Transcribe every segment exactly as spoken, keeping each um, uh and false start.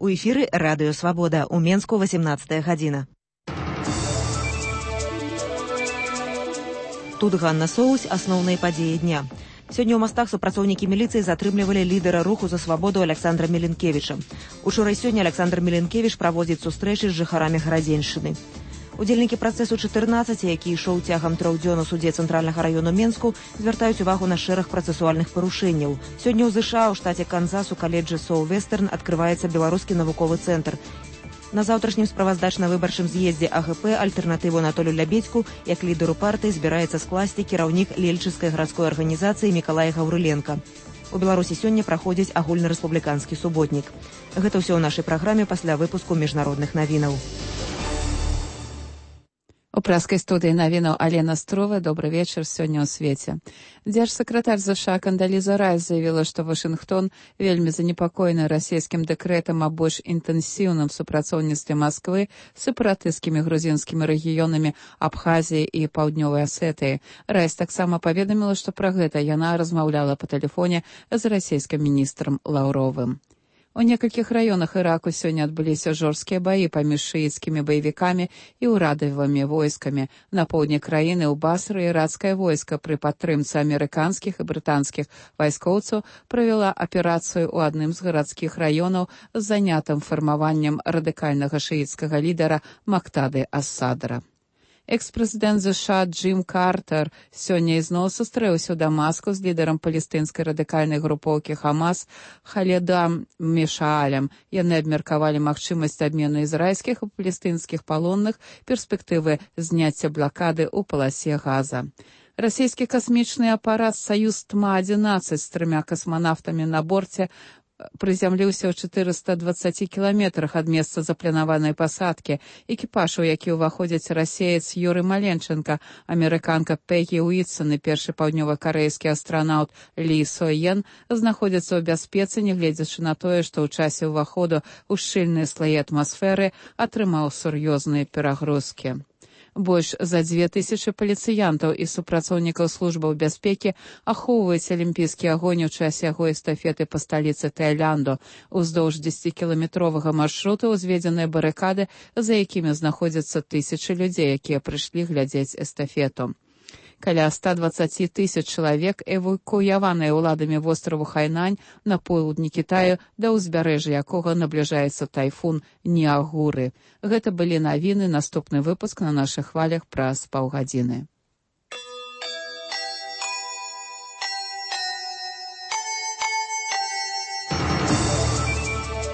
У эфіры радыё «Свабода». У Менску восемнадцатая гадзіна. Тут Ганна Соусь, асноўныя падзеі дня. Сёння ў мастах супрацоўнікі міліцыі затрымлівалі лідара руху за свабоду Александра Міленкевіча. Учора і сёння Александр Міленкевіч праводзіць сустрэчы з жыхарамі Гарадзеншчыны. Удзельнікі працэсу чатырнаццаць, які ішоў цягам трох дзён у судзе цэнтральнага раёну Менску, звяртаюць увагу на шэраг працэсуальных парушэнняў. Сёння ў ЗША ў штаце Канзас у каледжы Соу-Вестерн адкрываецца беларускі навуковы цэнтр. На заўтрашнім справаздачна-выбарчым з'ездзе АГП альтэрнатыву Анатолію Лябедзьку як лідару партыі збіраецца скласці кіраўнік Лельчыцкай гарадской арганізацыі Мікалай Гаўрыленка. У Беларусі сёння праходзіць агульнарэспубліканскі суботнік. Гэта ўсё ў нашай праграме пасля выпуску міжнародных навінаў. У праскай студыі навінаў Алена Строва. Добры вечар сёння ў свеце. Дзяржсакратар ЗША Кандаліза Райс заявіла, што Вашынгтон вельмі занепакоены расійскім дэкрэтам аб больш інтэнсіўным супрацоўніцтве Масквы з сепаратысцкімі грузінскімі рэгіёнамі Абхазіі і Паўднёвай Асетыі. Райс таксама паведаміла, што пра гэта яна размаўляла па тэлефоне з расійскім міністрам Лаўровым. У некалькіх раёнах Іраку сёння адбыліся жорсткія баі паміж шыіцкімі баевікамі і ўрадавымі войскамі. На поўдні краіны ў Басры іракскае войска пры падтрымцы амерыканскіх і брытанскіх вайскоўцаў правяла аперацыю ў адным з гарадскіх раёнаў з занятым фармаваннем радыкальнага шыіцкага лідара Мактады ас-Садра. Экс-прэзідэнт ЗША Джим Картер сёння ізноў сустрэўся ў Дамаску з лідарам палестынскай радыкальнай групоўкі Хамас Халедам Мешаалем. Яны абмеркавалі магчымасць абмену ізраільскіх і палестынскіх палонных, перспектывы зняцця блакады ў паласе Газа. Расійскі касмічны апарат «Саюз-Тма адзінаццаць» з трымя касманаўтамі на борце прызямліўся ў чатырыста дваццаці кіламетрах ад месца запланаванай пасадкі. Экіпаж, у які ўваходзяць расеец Юры Маленченка, амерыканка Пегі Уітсон і першы паўднёва-карэйскі астранаўт Лі Соен, знаходзяцца ў бяспецы, нягледзячы на тое, што ў часе ўваходу ў шчыльныя слаі атмасферы атрымаў сур'ёзныя перагрузкі. Больш за дзве тысячы паліцыянтаў і супрацоўнікаў службаў бяспекі ахоўваюць алімпійскі агонь у часе яго эстафеты па сталіцы Таіланду. Уздоўж дзесяцікіламетровага маршруту ўзведзеныя барыкады, за якімі знаходзяцца тысячы людзей, якія прыйшлі глядзець эстафету. Каля ста дваццаці тысяч чалавек эвакуяваныя ўладамі востраву Хайнань на поўдні Кітаю, да ўзбярэжжа якога набліжаецца тайфун Ніагуры. Гэта былі навіны, наступны выпуск на нашых хвалях праз паўгадзіны.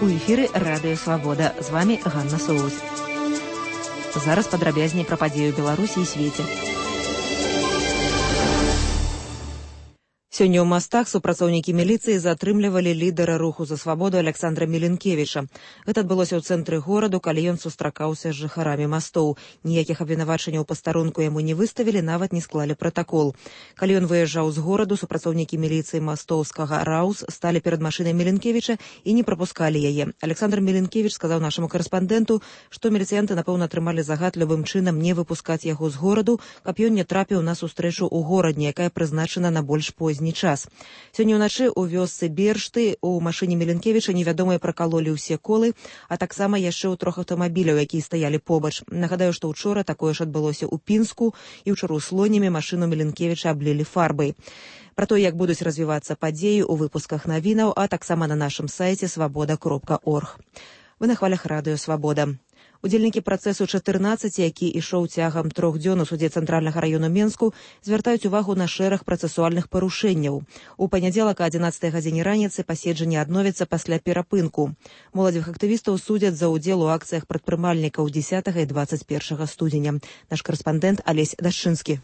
У эфіры радыё «Свабода». З вамі Ганна Соусь. Зараз падрабязней пра падзею Беларусі і свеце. Сёння ў мастах супрацоўнікі міліцыі затрымлівалі лідара руху за свабоду Александра Міленкевіча. Гэта адбылося ў цэнтры гораду, калі ён сустракаўся з жыхарамі мастоў. Ніякіх абвінавачанняў пастарунку яму не выставілі, нават не склалі пратакол. Калі ён выязджаў з гораду, супрацоўнікі міліцыі мастоўскага Раус сталі перад машынай Міленкевіча і не прапускалі яе. Александр Міленкевіч сказаў нашаму карэспандэнту, што міліцыянты, напэўна, атрымалі загад любым чынам не выпускаць яго з гораду, каб ён не трапіў на сустрэчу ў горадні, якая прызначана на больш позні час. Сёння ўначы ў вёсцы Бершты у машыне Міленкевіча невядомыя пракалолі ўсе колы, а таксама яшчэ ў трох аўтамабіляў, якія стаялі побач. Нагадаю, што ўчора такое ж адбылося ў Пінску, і ўчора ў Слонімі машыну Міленкевіча аблілі фарбай. Пра то, як будуць развівацца падзеі ў выпусках навінаў, а таксама на нашым сайце свабода кропка орг. Вы на хвалях радыё «Свабода». Удзельнікі працэсу чатырнаццаць, які ішоў цягам трох дзён у судзе цэнтральнага раёну Менску, звяртаюць увагу на шэраг працэсуальных парушэнняў. У панядзелак а адзінаццатай гадзіне раніцы паседжанне адновіцца пасля перапынку. Моладзевых актывістаў судзяць за ўдзел у акцыях прадпрымальнікаў дзесятага і дваццаць першага студзеня. Наш карэспандэнт Алесь Дашчынскі.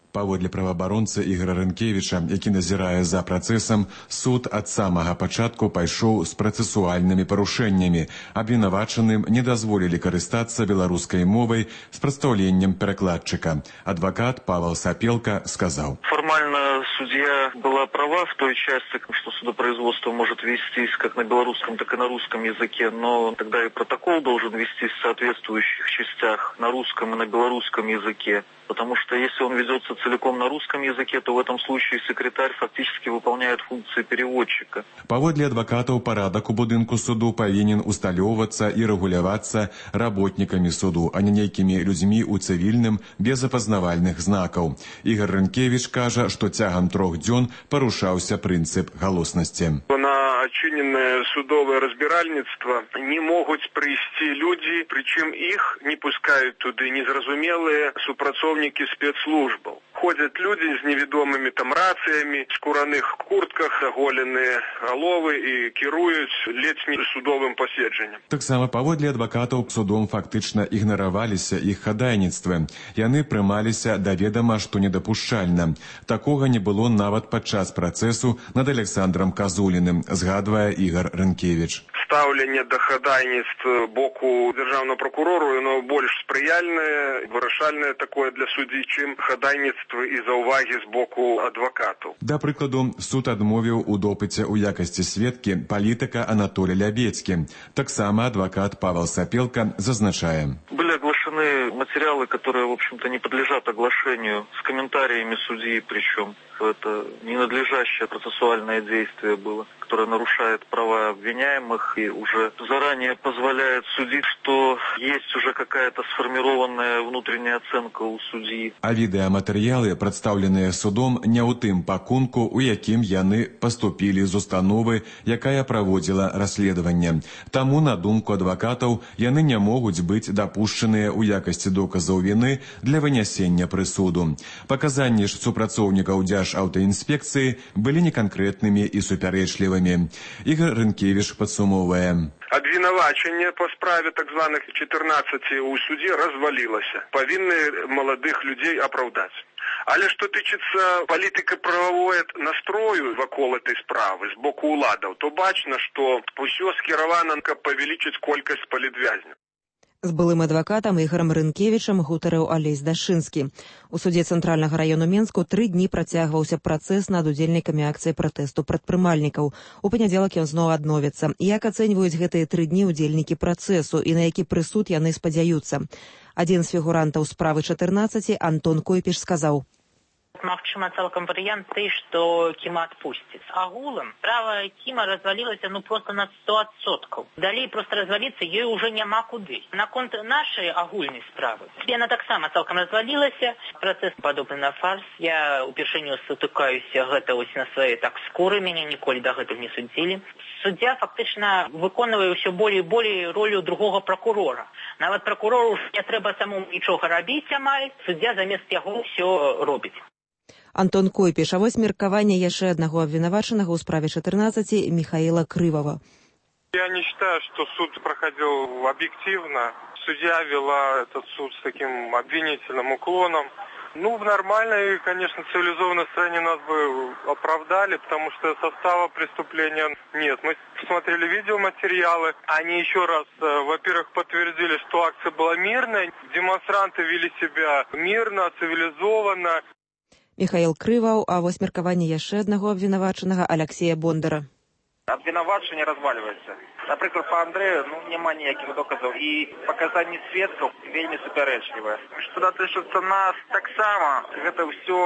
Паводле праваабаронцы Ігора Рынкевіча, які назірае за працэсам, суд ад самага пачатку пайшоў з працэсуальнымі парушэннямі. Абвінавачаным не дазволілі карыстацца беларускай мовай з прадстаўленнем перакладчыка. Адвакат Павел Сапелка сказаў: Форма формально судья была права в той части, что судопроизводство может вестись как на белорусском, так и на русском языке, но тогда и протокол должен вестись в соответствующих частях на русском и на белорусском языке. Потому что если он ведется целиком на русском языке, то в этом случае секретарь фактически выполняет функции переводчика. Паводле адвакатаў, парадак у будынку суду павінен усталёўвацца і рэгулявацца работнікамі суду, а не нейкімі людзьмі ў цывільным без апазнавальных знакаў. Ігор Рынкевіч кажа, што цягам трох дзён парушаўся прынцып галоснасці. На адчыненае судовае разбіральніцтва не могуць прыйсці людзі, прычым іх не пускаюць туды незразумелыя супрацоўнікі спецслужбаў. Ходзяць людзі з невядомымі там рацыямі, скураных куртках, заголеныя галовы і кіруюць ледзь не судовым паседжаннем. Таксама паводле адвакатаў судом фактычна ігнараваліся іх хадайніцтвы. Яны прымаліся да ведама, што недапушчальна. Такога не было нават падчас працэсу над Александром Казуліным, згадвае Ігор Рынкевіч. Стаўленне да хадайніцтва боку дзяржаўнага прокурору, оно больш спрыяльнае, вырашальнае такое для суддзі, чым хадайніцтва і заўвагі з боку адвакатаў. Да прыкладу, суд адмовіў у допыце ў якасці сведкі палітыка Анатолия Лябедзькі. Таксама адвакат Павел Сапелка зазначае. Были оглашены материалы, которые, в общем-то, не подлежат оглашению, с комментариями судьи, причем это ненадлежащее процессуальное действие было, которое нарушает права обвиняемых и уже заранее позволяет судить, что есть уже какая-то сформированная внутренняя оценка у судьи. А відэаматэрыялы, прадстаўленыя судом, не ў тым пакунку, у якім яны паступілі з установы, якая праводзіла расследаванне. Таму, на думку адвакатаў, яны не могуць быць дапушчаныя ў якасці доказаў віны для вынясення прысуду. Паказанні ж супрацоўнікаў Дзяржаўтаінспекцыі былі неканкрэтнымі і супярэчлівымі. Ігор Рынкевіч падсумоўвае. Обвинувачення по справе так званых чатырнаццаці у суде развалілася. Павінны маладых людзей апраўдаць. Але што тычыцца палітыка-прававой настрою вакол этой справы з боку ўладаў, то бачна, што ўсё скіравана, каб павялічыць колькасць палітвязняў. З былым адвакатам Ігорам Рынкевічам гутарыў Алесь Дашынскі. У судзе Цэнтральнага раёну Менску тры дні працягваўся працэс над удзельнікамі акцыі пратэсту прадпрымальнікаў. У панядзелак ён зноў адновіцца. Як ацэньваюць гэтыя тры дні удзельнікі працэсу і на які прысуд яны спадзяюцца? Адзін з фігурантаў справы чатырнаццаці, Антон Койпіш, сказаў: Магчыма, цалкам варыянт той, што Кіма адпусціць. Агулам справа Кіма развалілася ну просто на сто адсоткаў. Далей просто разваліцца ёй уже няма куды. Наконт нашай агульнай справы яна таксама цалкам развалілася. Працэс падобны на фарс. Я упершыню сутыкаюся гэта ось на свае так скуры, мяне ніколі дагэтуль не судзілі. Суддзя фактычна выконвае ўсё болей і болей ролю другога пракурора. Нават пракурору не трэба самому нічога рабіць амаль. Суддзя замест яго ўсё робіць. Антон Койпіш, а вось меркаванне яшчэ аднаго абвінавачанага ў справе чатырнаццаці Михаила Крывова. Я не считаю, что суд проходил объективно. Судья вела этот суд с таким обвинительным уклоном. Ну, в нормальной, конечно, цивилизованной стране нас бы оправдали, потому что состава преступления нет. Мы посмотрели видеоматериалы, они еще раз, во-первых, подтвердили, что акция была мирная, демонстранты вели себя мирно, цивилизованно. Михаил Крываў, а вось меркаванне яшчэ аднаго абвінавачанага Алексея Бондара. Абвінавачанне развальваецца. Напрыклад, па Андрэю ну, няма ніякіх доказаў і паказанні сведкаў вельмі супярэчлівыя. Што датычыцца нас таксама, гэта ўсё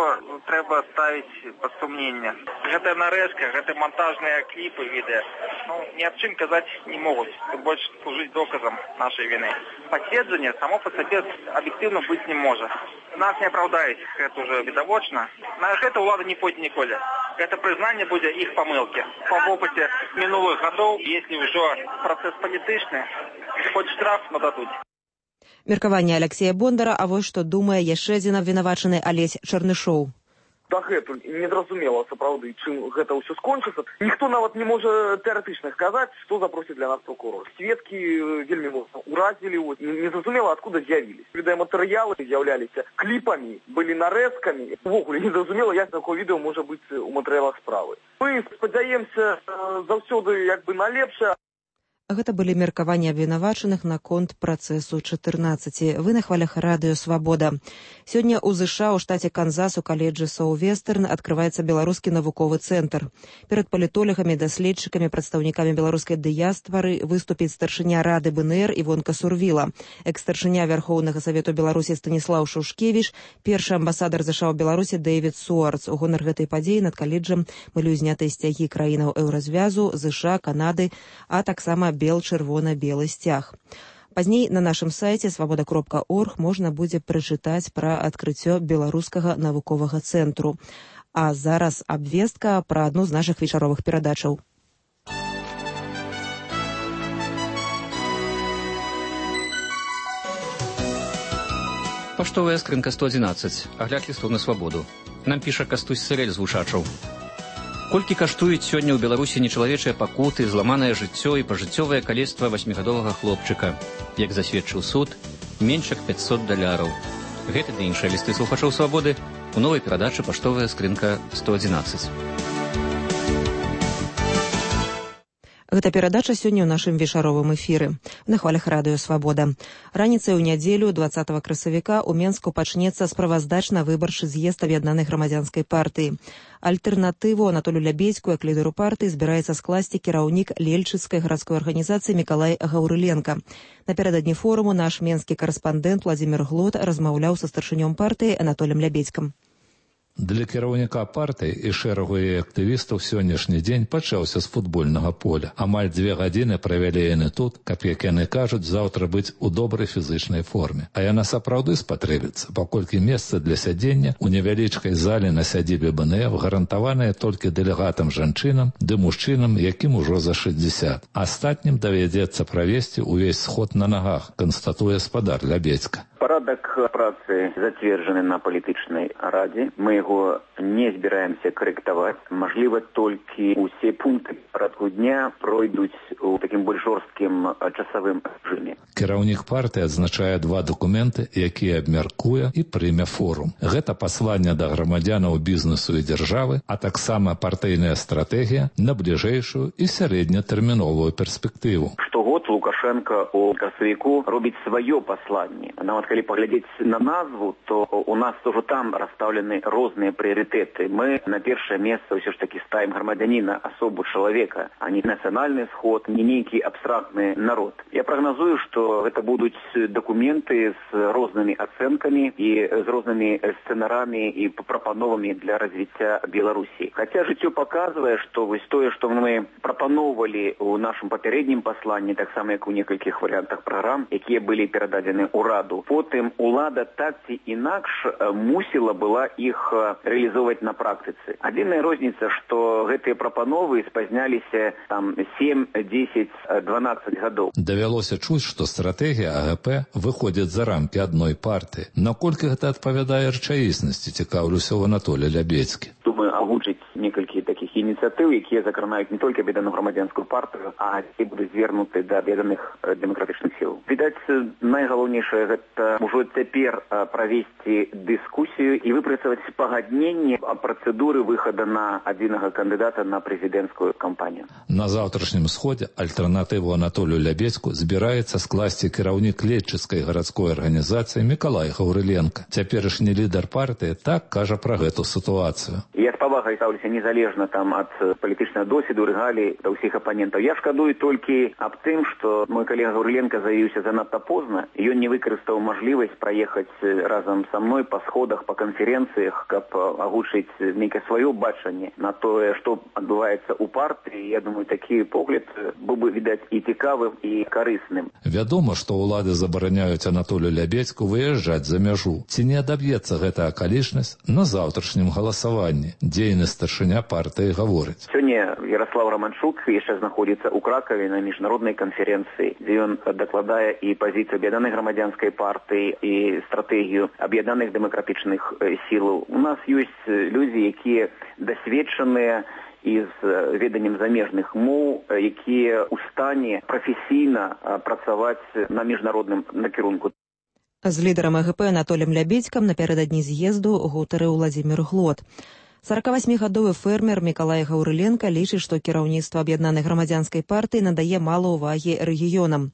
трэба ставіць пад сумненне. Гэта нарэзка, гэта монтажныя кліпы, відэа. Ну, ні аб чым казаць не могуць. Тут больш служыць доказам нашай віны. Паседжанне само па сабе аб'ектыўна быць не можа. Нас не апраўдаюць, гэта ўжо відавочна. На гэта ўлада не пойдзе ніколі. Гэта прызнанне будзе іх памылкі. Па вопыце мінулых гадоў, если ўжо працэс палітычны, хоць штраф нададуць. Меркаванне Алексея Бондара, а вось што думае яшчэ адзін абвінавачаны Алесь Чарнышоў. Дагэтуль незразумела сапраўды, чым гэта ўсё скончыцца. Ніхто нават не можа тэарэтычна сказаць, што запросіць для нас прокурор. Сведкі вельмі моцна уразілі, незразумела, адкуда з'явіліся. Відэаматэрыялы з'яўляліся кліпамі, былі нарэзкамі. Увогуле незразумела, як такое відэо можа быць у матэрыялах справы. Мы спадзяемся заўсёды як бы на лепшае. Гэта былі меркаванні абвінавачаных наконт працэсу чатырнаццаці. Вы на хвалях радыё «Свабода». Сёння ў ЗША ў штаце Канзас у каледжы Саўвестерн адкрываецца беларускі навуковы цэнтр. Перад палітолагамі, даследчыкамі, прадстаўнікамі беларускай дыяспары выступіць старшыня рады БНР Івонка Сурвіла, экс-старшыня Вярхоўнага Савету Беларусі Станіслаў Шушкевіч, першы амбасадар ЗША ў Беларусі Дэвід Суарц. У гонар гэтай падзеі над каледжам былі ўзнятыя сцягі краінаў Еўразвязу, ЗША, Канады, а таксама бел-чырвона-белы сцяг. Пазней на нашым сайце свабода кропка орг можна будзе прачытаць пра адкрыццё беларускага навуковага цэнтру. А зараз абвестка пра адну з нашых вечаровых перадачаў. Паштовая скрынка сто адзінаццаць. Агляд лістоў на свабоду. Нам піша Кастусь Сырэль з Вушачаў. Колькі каштуюць сёння ў Беларусі нечалавечыя пакуты, зламанае жыццё і пажыццёвае калецтва васьмігадовага хлопчыка. Як засведчыў суд, менш як пяцьсот даляраў. Гэта ды іншыя лісты слухачоў свабоды у новай перадачы «Паштовая скрынка сто адзінаццаць». Гэта перадача сёння ў нашым вечаровым эфіры. На хвалях радыё «Свабода». Раніцай у нядзелю дваццатага красавіка ў Менску пачнецца справаздачна-выбарчы з'езд аб'яднанай грамадзянскай партыі. Альтэрнатыву Анатолю Лябедзьку як лідару партыі збіраецца скласці кіраўнік Лельчыцкай гарадской арганізацыі Мікалай Гаўрыленка. Напярэдадні форуму наш менскі карэспандэнт Владзімір Глот размаўляў са старшынём партыі Анатолем Лябедзькам. Для кіраўніка партыі і шэрагу яе актывістаў сённяшні дзень пачаўся з футбольнага поля. Амаль дзве гадзіны правялі яны тут, каб, як яны кажуць, заўтра быць у добрай фізычнай форме. А яна сапраўды спатрэбіцца, паколькі месца для сядзення ў невялічкай зале на сядзібе БНФ гарантаванае толькі дэлегатам жанчынам ды мужчынам, якім ужо за шэсцьдзесят. Астатнім давядзецца правесці ўвесь сход на нагах, канстатуе спадар Лябедзька. Парадак працы зацверджаны на палітычнай радзе. Мы яго не збіраемся карэктаваць. Мажліва, толькі ўсе пункты парадку дня пройдуць у такім больш жорсткім часавым рэжыме. Кіраўнік партыі адзначае два дакументы, якія абмяркуе і прыме форум. Гэта пасланне да грамадзянаў бізнесу і дзяржавы, а таксама партыйная стратэгія на бліжэйшую і сярэднятэрміновую перспектыву. Штогод Лукашенко у красавіку робіць сваё пасланне. Нават калі паглядзець на назву, то у нас тоже там расстаўлены розныя прыярытэты. Мы на першае месца ўсё ж такі ставім грамадзяніна, асобу чалавека, а не нацыянальны сход, не нейкі абстрактны народ. Я прагназую, што гэта будуць дакументы з рознымі ацэнкамі і з рознымі сцэнарамі і прапановамі для развіцця Беларусі. Хаця жыццё паказвае, што вось тое, што мы прапаноўвалі ў нашым папярэднім пасланні, таксама як у некалькіх варыянтах праграм, якія былі перададзены ўраду, потым улада так ці інакш мусіла была іх рэалізоўваць на практыцы. Адзіная розніца, што гэтыя прапановы спазняліся там сем, дзесяць, дванаццаць гадоў. Давялося чуць, што стратэгія АГП выходзіць за рамкі адной партыі. Наколькі гэта адпавядае рэчаіснасці, цікаўлюся ў Анатолія Лябедзькі. Думаю, агучыць некалькі такіх ініцыятыў, якія закранаюць не толькі аб'яднаную грамадзянскую партыю, а які будуць звернуты да аб'яднаных дэмакратычных сіл. Відаць, найгалоўнейшае гэта ўжо цяпер правесці дыскусію і выпрацаваць пагадненне о працэдуры выхада на адзінага кандыдата на прэзідэнцкую кампанію. На заўтрашнім сходзе альтэрнатыву Анатолію Лябедзьку збіраецца скласці кіраўнік Лельчыцкай гарадской арганізацыі Мікалай Гаўрыленка. Цяперашні лідар партыі так кажа пра гэту сітуацыю. Я з павагай стаўлюся незалежна там ад палітычнага досведу, рэгалій да ўсіх апанентаў. Я шкадую толькі аб тым, што мой калега Гаўрыленка заявіўся занадта позна. Ён не выкарыстаў мажлівасць праехаць разам са мной па сходах, па канферэнцыях, каб агучыць нейкае сваё бачанне на тое, што адбываецца ў партыі. Я думаю, такі погляд быў бы, відаць, і цікавым, і карысным. Вядома, што ўлады забараняюць Анатолію Лябедзьку выязджаць за мяжу. Ці не адаб'ецца гэта акалічнасць на заўтрашнім галасаванні? Дзейны старшыня партыі гаворыць. Сёння Ярослав Романчук яшчэ знаходзіцца ў Кракаве на міжнароднай канферэнцыі, дзе ён дакладае і пазіцыю аб'яднанай грамадзянскай партыі, і стратэгію аб'яднаных дэмакратычных сілаў. У нас ёсць людзі, якія дасведчаныя і з веданнем замежных моў, якія ў стане прафесійна працаваць на міжнародным накірунку. З лідарам АГП Анатолем Лябедзькам напярэдадні з'езду гутарыў Владзімір Глот. сорокавасьмігадовы фермер Мікалай Гаўрыленка лічыць, што кіраўніцтва аб'яднанай грамадзянскай партыі надае мала ўвагі рэгіёнам.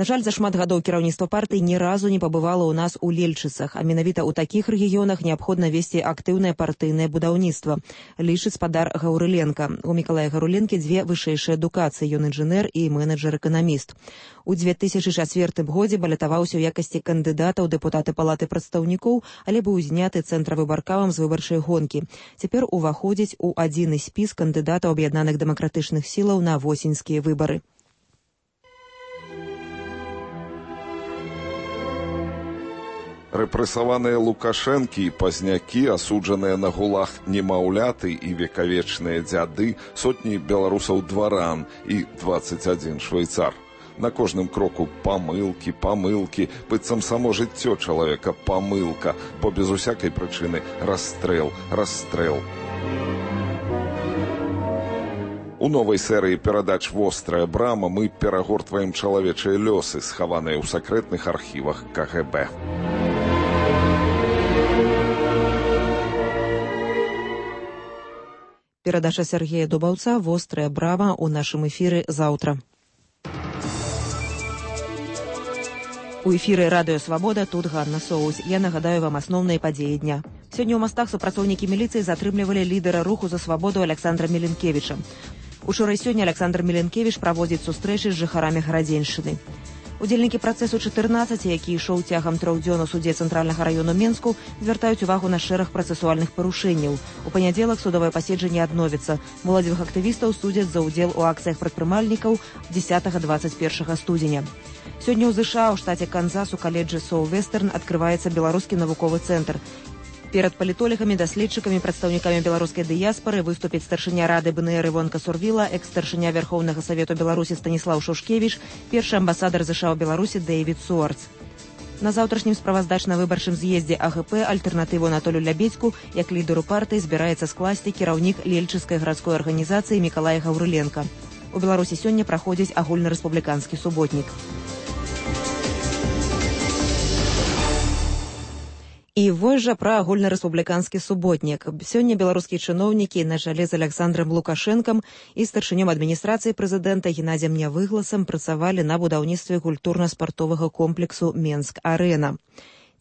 На жаль, за шмат гадоў кіраўніцтва партыі ні разу не пабывала ў нас у Лельчыцах, а менавіта ў такіх рэгіёнах неабходна весці актыўнае партыйнае будаўніцтва, лічыць спадар Гаўрыленка. У Мікалая Гаўрыленкі дзве вышэйшыя адукацыі, ён інжынер і менеджер-эканаміст. У дзве тысячы чацвёртым годзе балятаваўся ў якасці кандыдата ў дэпутаты палаты прадстаўнікоў, але быў зняты цэнтравым баркамам з выбарчай гонкі. Цяпер уваходзіць у адзіны спіс кандыдатаў аб'яднаных дэмакратычных сілаў на восеньскія выбары. Рэпрэсаваныя Лукашэнкі і пазнякі, асуджаныя на гулаг немаўляты і векавечныя дзяды, сотні беларусаў-дваран і дваццаць адзін швейцар. На кожным кроку памылкі, памылкі, быццам само жыццё чалавека памылка, бо без усякай прычыны расстрэл, расстрэл. У новай серыі перадач «Вострая брама» мы перагортваем чалавечыя лёсы, схаваныя ў сакрэтных архівах ка гэ бэ. Перадача Сергея Дубаўца «Вострая брама» у нашым эфіры заўтра. У эфіры радыё «Свабода», тут Ганна Соус. Я нагадаю вам асноўныя падзеі дня. Сёння ў Мастах супрацоўнікі міліцыі затрымлівалі лідара руху за свабоду Александра Міленкевіча. Учора і сёння Александр Міленкевіч праводзіць сустрэчы з жыхарамі Гарадзеншчыны. Удзельнікі працэсу чатырнаццаці, які ішоў цягам трох дзён у судзе цэнтральнага раёну Менску, звяртаюць увагу на шэраг працэсуальных парушэнняў. У панядзелак судовае паседжанне адновіцца. Моладзевых актывістаў судзяць за ўдзел у акцыях прадпрымальнікаў дзесятага дваццаць першага студзеня. Сёння ў ЗША ў штаце Канзас у каледжы Соу-Вестерн адкрываецца беларускі навуковы цэнтр. Перад палітолігамі, даследчыкамі, прадстаўнікамі беларускай дыяспары выступіць старшыня рады бэ эн эр Івонка Сурвіла, экс-старшыня Вярхоўнага Савету Беларусі Станіслаў Шушкевіч, першы амбасадар ЗША ў Беларусі Дэйвід Суарц. На заўтрашнім справаздачна-выбарчым з'ездзе а гэ пэ альтэрнатыву Анатолю Лябедзьку як лідару партыі збіраецца скласці кіраўнік Лельчыцкай гарадской арганізацыі Мікалай Гаўрыленка. У Беларусі сёння праходзіць агульнарэспубліканскі суботнік. І вось жа пра агульнарэспубліканскі суботнік. Сёння беларускія чыноўнікі на чале з Александрам Лукашэнкам і старшынём адміністрацыі прэзідэнта Геннадзем Нявыгласам працавалі на будаўніцтве культурна-спартовага комплексу «Менск-арэна».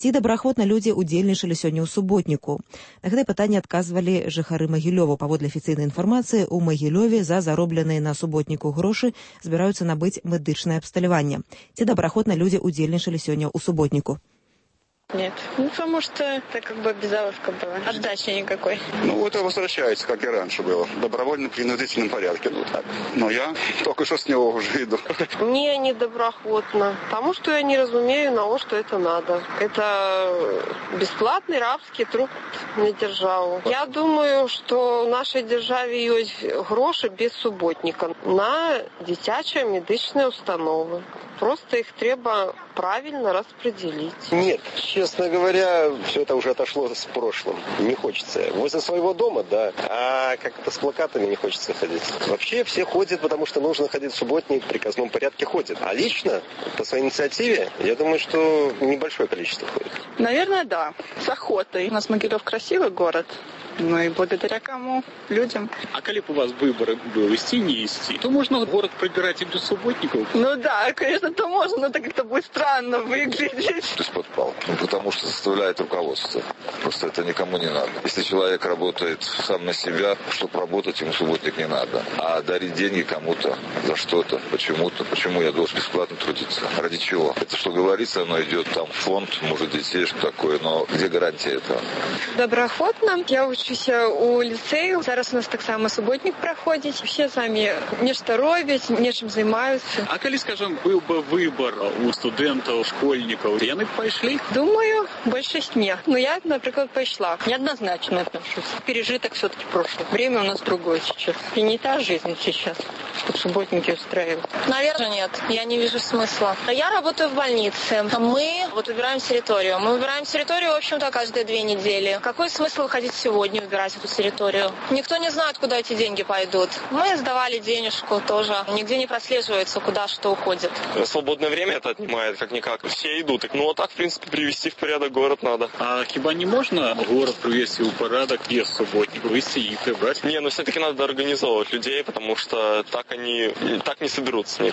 Ці добраахвотна людзі удзельнічалі сёння ў суботніку? На гэтае пытанне адказвалі жыхары Магілёва. Паводле афіцыйнай інфармацыі, у Магілёве за заробленыя на суботніку грошы збіраюцца набыць медычнае абсталяванне. Ці добраахвотна людзі удзельнічалі сёння ў суботніку? Нет. Ну, потому что это как бы безаловка была. Отдачи никакой. Ну, это возвращается, как и раньше было. В добровольно-принудительном порядке. Ну, так. Но я только что с него уже иду. Не, не доброохотно. Потому что я не разумею, на что это надо. Это бесплатный рабский труд на державу. Я думаю, что в нашей державе есть гроши без субботника на дитячие медичные установы. Просто их треба правильно распределить. Нет, честно говоря, все это уже отошло с прошлым. Не хочется. Возле своего дома, да. А как-то с плакатами не хочется ходить. Вообще все ходят, потому что нужно ходить в субботник, в приказном порядке ходят. А лично, по своей инициативе, я думаю, что небольшое количество ходит. Наверное, да. С охотой. У нас Могилев красивый город. Ну и благодаря кому? Людям. А коли бы у вас выборы было идти, не идти, то можно город пробирать и без субботников? Ну да, конечно, то можно, но так это будет странно выглядеть. Из-под палки. Ну, потому что заставляет руководство. Просто это никому не надо. Если человек работает сам на себя, чтобы работать, ему субботник не надо. А дарить деньги кому-то за что-то, почему-то. Почему я должен бесплатно трудиться? Ради чего? Это что говорится, оно идет там в фонд, может, детей, что такое, но где гарантия этого? Добраахвотна. Я учуся у ліцею. Зараз у нас так само суботник проходить. Все самі нешта робять, нечым займаюцца. А калі, скажем, был бы выбор у студентов, школьников, яны пошли? Думаю, большинство нет. Но я, например, пошла. Неоднозначно отношусь. Пережиток все-таки прошлое. Время у нас другое сейчас. И не та жизнь сейчас, тут субботники устраивать. Наверное, нет. Я не вижу смысла. Я работаю в больнице. Мы вот убираем территорию. Мы убираем территорию, в общем-то, каждые две недели. Какой смысл выходить сегодня убирать эту территорию? Никто не знает, куда эти деньги пойдут. Мы сдавали денежку тоже. Нигде не прослеживается, куда что уходит. Свободное время это отнимает, как-никак. Все идут. Ну, а так, в принципе, привести в порядок город надо. А хіба не можно город привести в порядок без субботников, выйти и прибрать? Не, ну все-таки надо организовывать людей, потому что так они так не соберутся.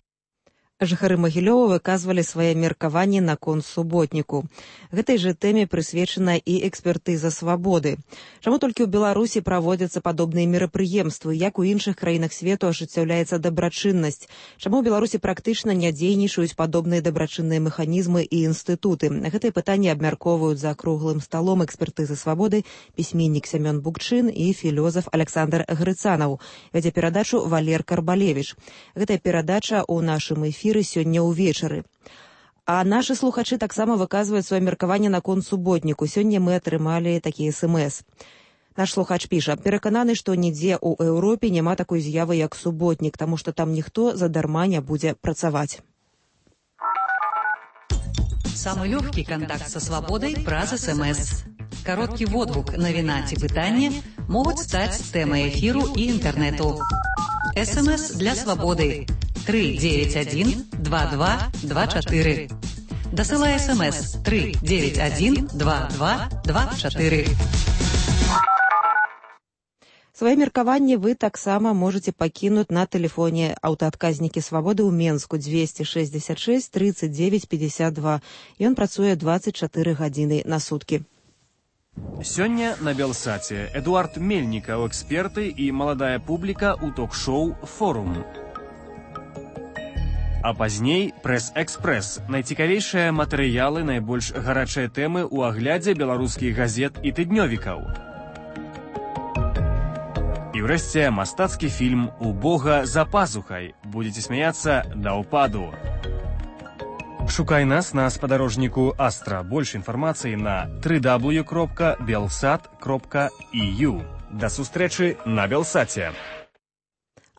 Жыхары Магілёва выказвалі свае меркаванні наконт суботніку. Гэтай жа тэме прысвечана і экспертыза свабоды. Чаму толькі ў Беларусі праводзяцца падобныя мерапрыемствы, як у іншых краінах свету ажыццяўляецца дабрачыннасць? Чаму ў Беларусі практычна не дзейнічаюць падобныя дабрачынныя механізмы і інстытуты? Гэтыя пытанні абмяркоўваюць за круглым сталом экспертызы свабоды пісьменнік Сямён Букчын і філёзаф Александр Грыцанаў. Вядзе перадачу Валер Карбалевіч. Гэтая перадача ў нашым эфіры сёння ўвечары. А нашы слухачы таксама выказваюць сваё меркаванне наконт суботніку. Сёння мы атрымалі такі эс-эм-эс. Наш слухач піша: перакананы, што нідзе ў Еўропе няма такой з'явы, як суботнік, таму што там ніхто задарма не будзе працаваць. Самый легкий контакт со свободой праз эс-эм-эс. Короткий водгук, навіна ці пытанне могуць стаць тэмай эфіру і інтэрнэту. эс-эм-эс для свободы. три девять один два два два четыре. Досылай эс-эм-эс три девять один два два два четыре. Свае меркаванні вы таксама можаце пакінуць на тэлефоне аўтаадказнікі свабоды ў Менску двести шестьдесят шесть тридцать девять пятьдесят два. Ён працуе двадцать четыре гадзіны на суткі. Сёння на Белсаце Эдуард Мельнікаў, эксперты і маладая публіка ў ток-шоу «Форум». А пазней «Прэс-экспрэс» – найцікавейшыя матэрыялы, найбольш гарачыя тэмы ў аглядзе беларускіх газет і тыднёвікаў. І ўрэшце мастацкі фільм «У Бога за пазухай». Будзеце смяяцца да ўпаду. Шукай нас на спадарожніку Астра. Больш інфармацыі на дабл ю дабл ю дабл ю кропка белсат кропка і ю. Да сустрэчы на Белсаце.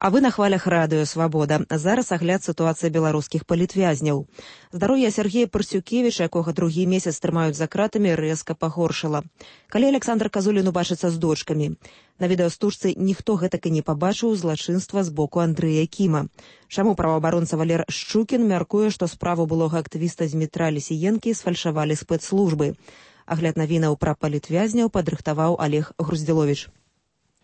А вы на хвалях радыё «Свабода». Зараз агляд сітуацыі беларускіх палітвязняў. Здароўе Сергея Парсюкевіча, якога другі месяц трымаюць за кратамі, рэзка пагоршала. Калі Александр Казулін убачыцца з дочкамі. На відэастужцы ніхто гэтак і не пабачыў злачынства з боку Андрэя Кіма. Чаму праваабаронца Валер Шчукін мяркуе, што справу былога актывіста Змітра Лісіенкі сфальшавалі спецслужбы. Агляд навінаў пра палітвязняў падрыхтаваў Олег Груздзіловіч.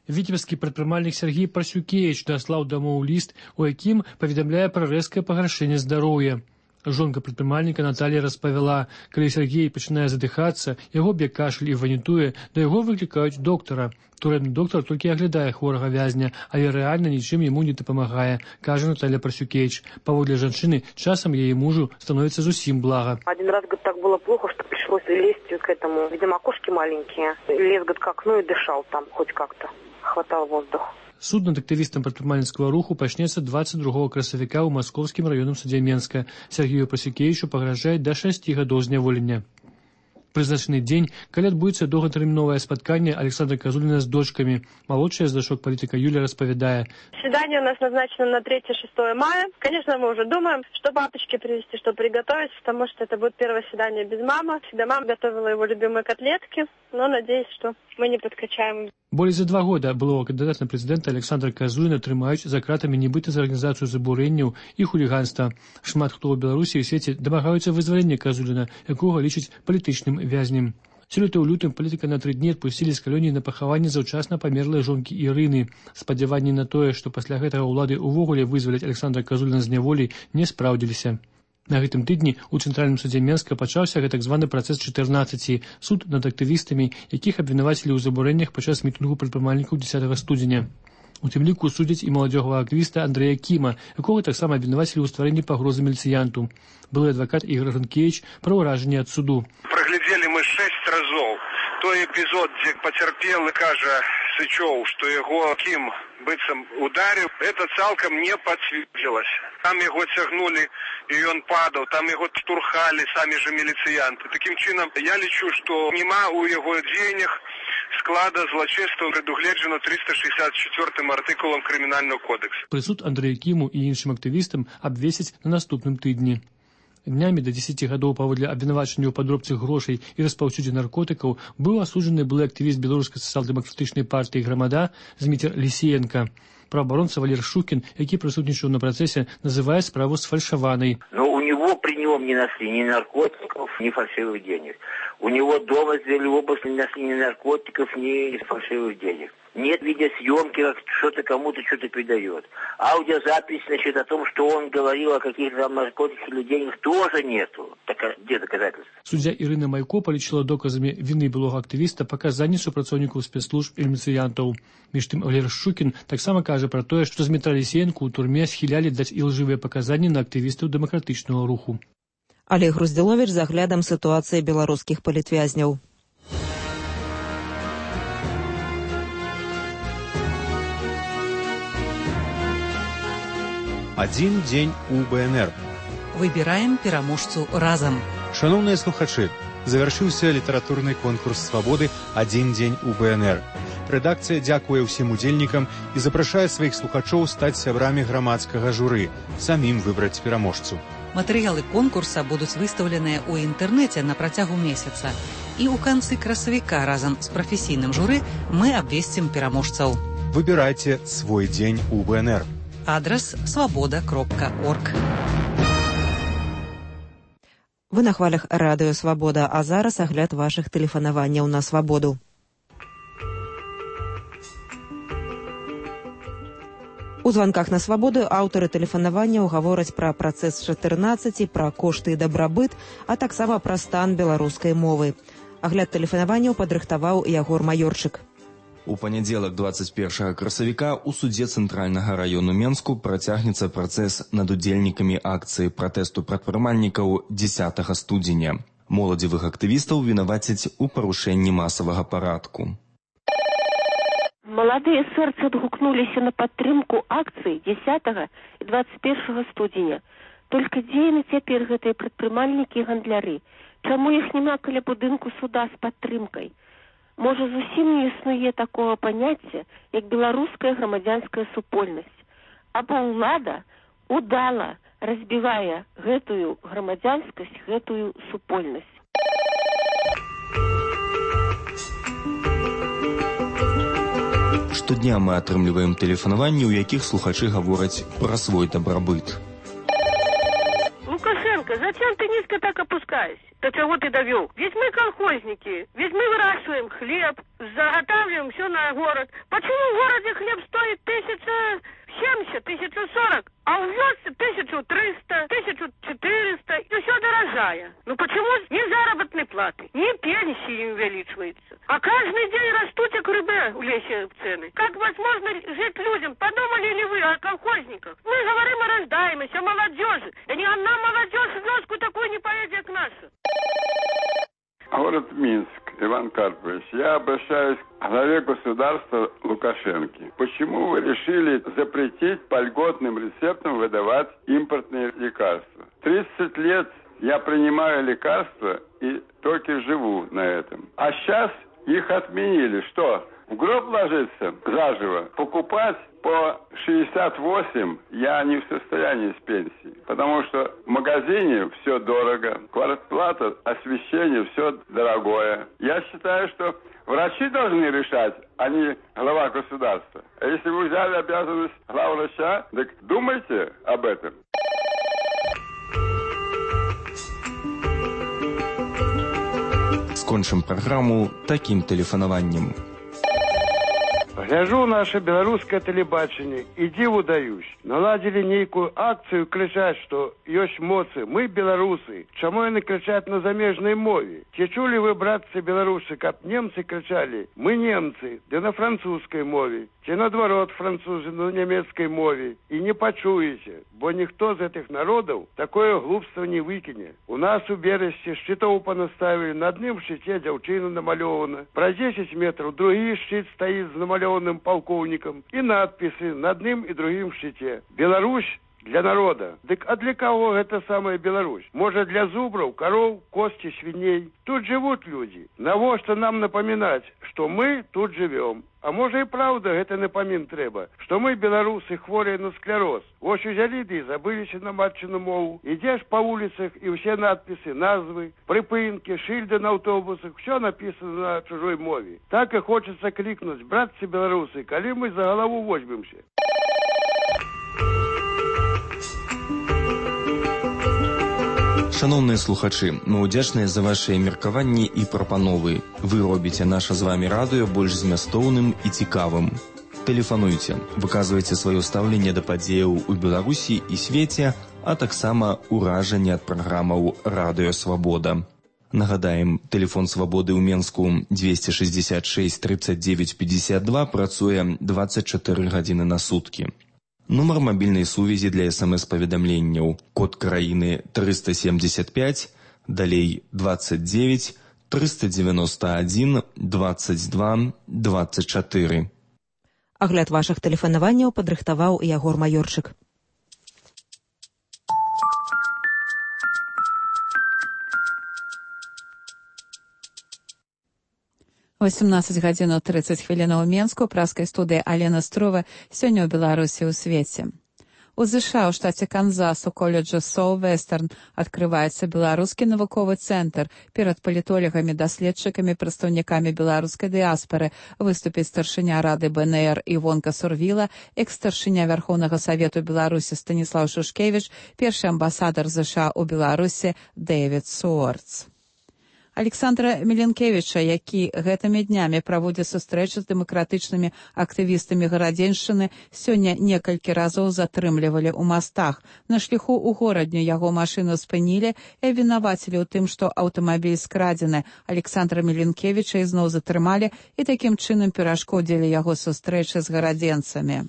Віцебскі прадпрымальнік Сергей Парсюкевіч даслаў дамоў ліст, у якім паведамляе пра рэзкае пагаршэнне здароўя. Жонка прадпрымальніка Наталья распавяла, калі Сергей пачынае задыхацца, яго б'е кашаль і ванітуе, да яго выклікаюць доктара. Турэмны доктар толькі аглядае хворага вязня, але рэальна нічым яму не дапамагае, кажа Наталья Парсюкевіч. Паводле жанчыны, часам яе мужу становіцца зусім блага. Один раз, говорит, так было плохо, что пришлось лезть к этому. Видимо, окошки маленькие. Лез, говорит, к окну и дышал там хоть как-то. Хватал воздух. Суд над актывістам прадпрымальніцкага руху пачнецца двадцать другого красавіка ў Маскоўскім раённым судзе Менска. Сергею Парсюкевічу пагражае да шасці гадоў зняволення. Прызначаны дзень, калі адбудзецца доўгатэрміновае спатканне Александра Казуліна з дочкамі. Малодшая з дачок палітыка Юля распавядае. Свидание у нас назначено на третье-шестое мая. Конечно, мы уже думаем, что папочке привезти, что приготовить, потому что это будет первое свидание без мамы. Всегда мама готовила его любимые котлетки, но надеюсь, что мы не подкачаем. Болей за два года былого кандидата на прэзідэнта Александра Казуліна трымаюць за кратамі нібыта за арганізацыю забурэнняў і хуліганства. Шмат хто ў Беларусі і ў свеце дамагаюцца вызвалення Казуліна, якога лічаць палітычным вязнем. Сёлета ў лютым палітыка на тры дні адпусцілі з калоніі на пахаванне заўчасна памерлай жонкі Ірыны. Спадзяванні на тое, што пасля гэтага ўлады ўвогуле вызваляць Александра Казуліна з няволі, не спраўдзіліся. На гэтым тыдні ў цэнтральным судзе Менска пачаўся так званы працэс чатырнаццаці, суд над актывістамі, якіх абвінавацілі ў забурэннях падчас мітынгу прадпрымальнікаў дзесятага студзеня. У тым ліку судзяць і маладзёгага актывіста Андрэя Кіма, якога таксама абвінавацілі ў стварэнні пагрозы міліцыянту. Былы адвакат Ігор Ранкевіч пра ўражанне ад суду. Праглядзелі мы шэсць разоў той эпізод, дзе пацярпелы кажа Сычоў, што яго Кім быццам ударыў, это цалкам не пацвердзілася. Там яго цягнулі, і ён падаў, там яго штурхалі самі же міліцыянты. Такім чынам, я лічу, што няма ў яго дзеяннях склада злачинства прадугледжана трыста шестьдесят четвёртым артыкулам Крымінального кодексу. Прысуд Андрэю Кіму і іншым актывістам абвесяць на наступным тыдні. Днямі да дзесяці гадоў паводле абвінавачання ў падробцы грошай і распаўсюдзе наркотыкаў быў асуджаны былы актывіст беларускай сацыял-дэмакратычнай партыі «Грамада» Зміцер Лісіенка. Праваабаронца Валер Шукін, які прысутнічаў на працэсе, называе справу сфальшаванай. Но у него при нем не нашли ни наркотиков, ни фальшивых денег. У него дома сделали обыск, не нашли ни наркотиков, ни фальшивых денег. Нет видеосъемки, как что-то кому-то что-то передает. Аудиозапись, значит, о том, что он говорил о каких-то там наркотиках или деньгах, тоже нету. Так, где доказательства? Суддзя Ірына Майко палічыла доказамі віны былога актывіста паказанні супрацоўнікаў спецслужб і міліцыянтаў. Між тым, Валер Шукін таксама кажа пра тое, што Змітра Лісіенку ў турме схілялі даць ілжывыя паказанні на актывістаў дэмакратычнага руху. Олег Груздзіловіч з аглядам сітуацыі беларускіх палітвязняў. Один дзень у БНР. Выбираем пераможцу разам. Шановныя слухачы, завяршыўся літаратурны конкурс свабоды «Адзін дзень у БНР». Рэдакцыя дзякуе ўсім удзельнікам і запрашае сваіх слухачоў стаць сябрамі грамадскага журы, самім выбраць пераможцу. Матэрыялы конкурса будуць выстаўленыя ў інтэрнэце на працягу месяца. І ў канцы красавіка разам з прафесійным журы мы абвесцім пераможцаў. Выбірайце свой дзень у БНР. Адрес свабода кропка орг. Вы на хвалях радыё «Свабода», а зараз агляд вашых тэлефанаванняў на свабоду. У званках на свабоду аўтары тэлефанаванняў гавораць пра працэс чатырнаццаці, пра кошты і дабрабыт, а таксама пра стан беларускай мовы. Агляд тэлефанаванняў падрыхтаваў Ягор Маёрчык. У панядзелак двадцать первого красавіка ў судзе цэнтральнага раёну Менску працягнецца працэс над удзельнікамі акцыі пратэсту прадпрымальнікаў дзесятага студзеня. Моладзевых актывістаў вінавацяць у парушэнні масавага парадку. Маладыя сэрцы адгукнуліся на падтрымку акцыі дзесятага і двадцать первого студзеня. Толькі дзе яны цяпер гэтыя прадпрымальнікі і гандляры? Чаму іх няма каля будынку суда з падтрымкай? Можа, зусім не існуе такого паняцця, як беларуская грамадзянская супольнасць. Або ўлада удала разбівае гэтую грамадзянскасць, гэтую супольнасць. Штодня мы атрымліваем тэлефанаванні, у якіх слухачы гавораць пра свой дабрабыт. Лукашенко, зачем ты низко так опускаешься? До чего ты довел? Ведь мы колхозники, ведь мы выращиваем хлеб, заготавливаем все на город. Почему в городе хлеб стоит тысяча семьдесят, тысяча сорок, а в вёске тысяча триста, тысяча четыреста, и все дорожая? Ну почему ни заработной платы, ни пенсии не увеличивается? А каждый день растут как рыбы в лесе цены. Как возможно жить людям? Подумали ли вы о колхозниках? Мы говорим о рождаемости, о молодежи. Да ни одна молодежь в вёску такой не поедет, как наша. Город Минск, Иван Карпович, я обращаюсь к главе государства Лукашенко. Почему вы решили запретить по льготным рецептам выдавать импортные лекарства? тридцать лет я принимаю лекарства и только живу на этом. А сейчас их отменили. Что? В гроб ложиться заживо? Покупать по шестьдесят восемь я не в состоянии с пенсии. Потому что в магазине все дорого, квартплата, освещение, все дорогое. Я считаю, что врачи должны решать, а не глава государства. А если вы взяли обязанность главврача, так думайте об этом. Скончым праграму такім тэлефанаваннем. Гляжу наше беларускае тэлебачанне і дзіву даюсь. Наладзілі нейкую акцыю, крычаць, што ёсць моцы, мы беларусы. Чаму яны крычаць на замежнай мове? Ці чулі вы, братцы беларусы, каб немцы крычалі, мы немцы, ды на французскай мове? Ці наадварот французы на нямецкай мове? І не пачуеце, бо ніхто з гэтых народаў такое глупства не выкіне. У нас у Берасці шчытоў панаставілі, на адным шчыце дзяўчына намалёвана. Праз дзесяць метраў другі шчыт стаіць з намалёваным полковником и надписи на одном и другим щите. Беларусь для народа. Дык а для кого гэта самая Беларусь? Можа, для зубраў, кароў, косці, свіней? Тут живут люди. Навошта нам напоминать, что мы тут живем? А можа и правда гэта напомин трэба, что мы, беларусы, хворые на склероз. Вось узялі ды і забыліся на матчыну мову. Ідзеш по улицах, и все надписи, назвы, припынки, шильды на автобусах, все написано на чужой мове. Так и хочется крикнуть: братцы белорусы, коли мы за голову возьмемся? Шановныя слухачы, мы ўдзячныя за вашыя меркаванні і прапановы. Вы робіце наша з вамі радыё больш змястоўным і цікавым. Тэлефануйце, выказвайце сваё стаўленне да падзеяў у Беларусі і свеце, а таксама ўражанне ад праграмаў «Радыё Свабода». Нагадаем, тэлефон Свабоды ў Менску двести шестьдесят шесть тридцать девять пятьдесят два працуе двадцать четыре гадзіны на суткі. Нумар мабільнай сувязі для эс-эм-эс-паведамленняў, код краіны триста семьдесят пять, далей двадцать девять триста девяносто один двадцать два двадцать четыре. Агляд вашых тэлефанаванняў падрыхтаваў Ягор Маёрчык. восемнадцать гадзінаў тридцать хвілінаў у Менску, праскай студыі Алена Струва, сёння ў Беларусі ў свеце. У ЗША ў штаце Канзас у коледжа Соу-Вестерн адкрываецца беларускі навуковы цэнтр. Перад палітолагамі, даследчыкамі, прадстаўнікамі беларускай дыяспары выступіць старшыня рады бэ эн эр Івонка Сурвіла, экс-старшыня Вярхоўнага Савету Беларусі Станіслаў Шушкевіч, першы амбасадар ЗША ў Беларусі Дэвід Суорц. Александра Міленкевіча, які гэтымі днямі праводзіць сустрэчу з дэмакратычнымі актывістамі гарадзеншчыны, сёння некалькі разоў затрымлівалі ў мастах. На шляху ў горадню яго машыну спынілі і абвінавацілі ў тым, што аўтамабіль скрадзены. Александра Міленкевіча ізноў затрымалі і такім чынам перашкодзілі яго сустрэчы з гарадзенцамі.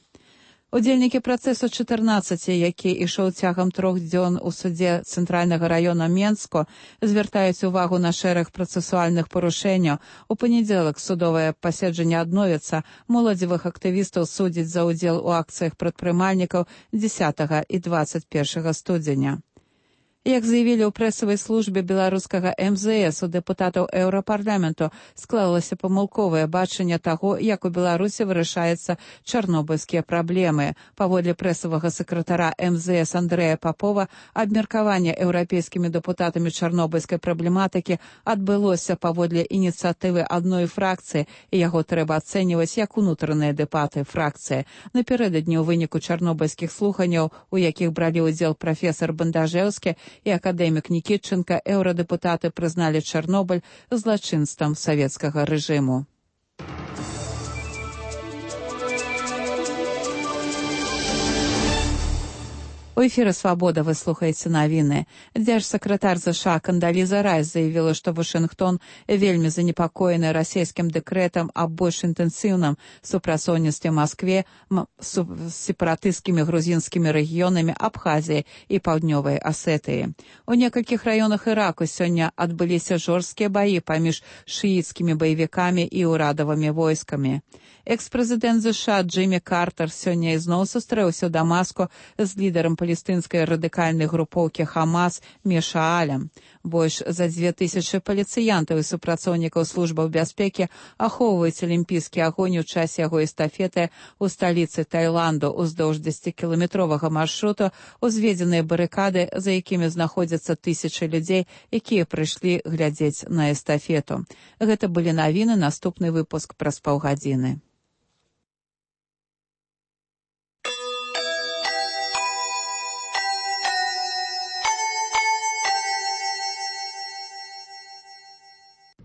Удзельнікі працэсу чатырнаццаці, які ішоў цягам трох дзён у судзе Цэнтральнага раёна Менску, звяртаюць увагу на шэраг працэсуальных парушэнняў. У панядзелак судовае паседжанне адновіцца. Моладзевых актывістаў судзяць за ўдзел у акцыях прадпрымальнікаў дзесятага і двадцать першага студзеня. Як заявілі ў прэсавай службе беларускага эм зэ эс, у дэпутатаў Еўрапарламенту склалася памылковае бачанне таго, як у Беларусі вырашаюцца чарнобыльскія праблемы. Паводле прэсавага сакратара эм зэ эс Андрэя Папова, абмеркаванне еўрапейскімі дэпутатамі чарнобыльскай праблематыкі адбылося паводле ініцыятывы адной фракцыі, і яго трэба ацэньваць як унутраныя дэбаты фракцыі. Напярэдадні ў выніку чарнобыльскіх слуханняў, у якіх бралі ўдзел прафесар Бандажэўскі і акадэмік Нікітченка, еўрадэпутаты прызналі Чарнобыль злачынствам савецкага рэжыму. У эфіры «Свабода» вы слухаеце навіны. Дзяржсакратар ЗША Кандаліза Райс заявіла, што Вашынгтон вельмі занепакоены расійскім дэкрэтам аб больш інтэнсіўным супрацоўніцтве Маскве з сепаратысцкімі грузінскімі рэгіёнамі Абхазіі і Паўднёвай Асетыі. У некалькіх раёнах Іраку сёння адбыліся жорсткія баі паміж шыіцкімі баевікамі і ўрадавымі войскамі. Экс-прэзідэнт ЗША Джиммі Картер сёння ізноў сустрэўся ў Дамаску з лідарам палестынскай радыкальнай групоўкі Хамас Мешаалем. Больш за дзве тысячы паліцыянтаў і супрацоўнікаў службаў бяспекі ахоўваюць алімпійскі агонь у часе яго эстафеты ў сталіцы Таіланду. Уздоўж дзесяцікіламетровага маршруту узведзеныя барыкады, за якімі знаходзяцца тысячы людзей, якія прыйшлі глядзець на эстафету. Гэта былі навіны, наступны выпуск праз паўгадзіны.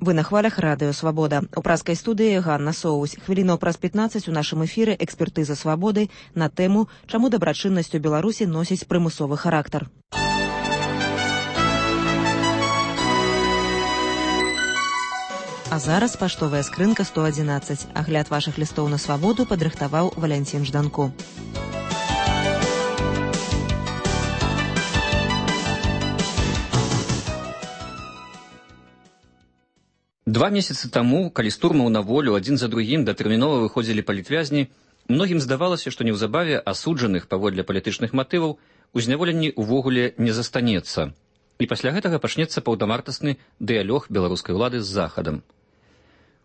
Вы на хвалях радыё «Свабода». У праскай студыі Ганна Соусь. Хвілінаў праз пятнаццаць у нашым эфіры экспертыза «Свабоды» на тэму «Чаму дабрачыннасць у Беларусі носіць прымусовы характар». А зараз паштовая скрынка сто адзінаццаць. Агляд вашых лістоў на «Свабоду» падрыхтаваў Валянцін Жданко. Два месяцы таму, калі з турмаў на волю адзін за другім датэрмінова выходзілі палітвязні, Многім здавалася, што неўзабаве асуджаных паводле палітычных матываў у зняволенні ўвогуле не застанецца. І пасля гэтага пачнецца паўнамартасны дыялог беларускай улады з Захадам.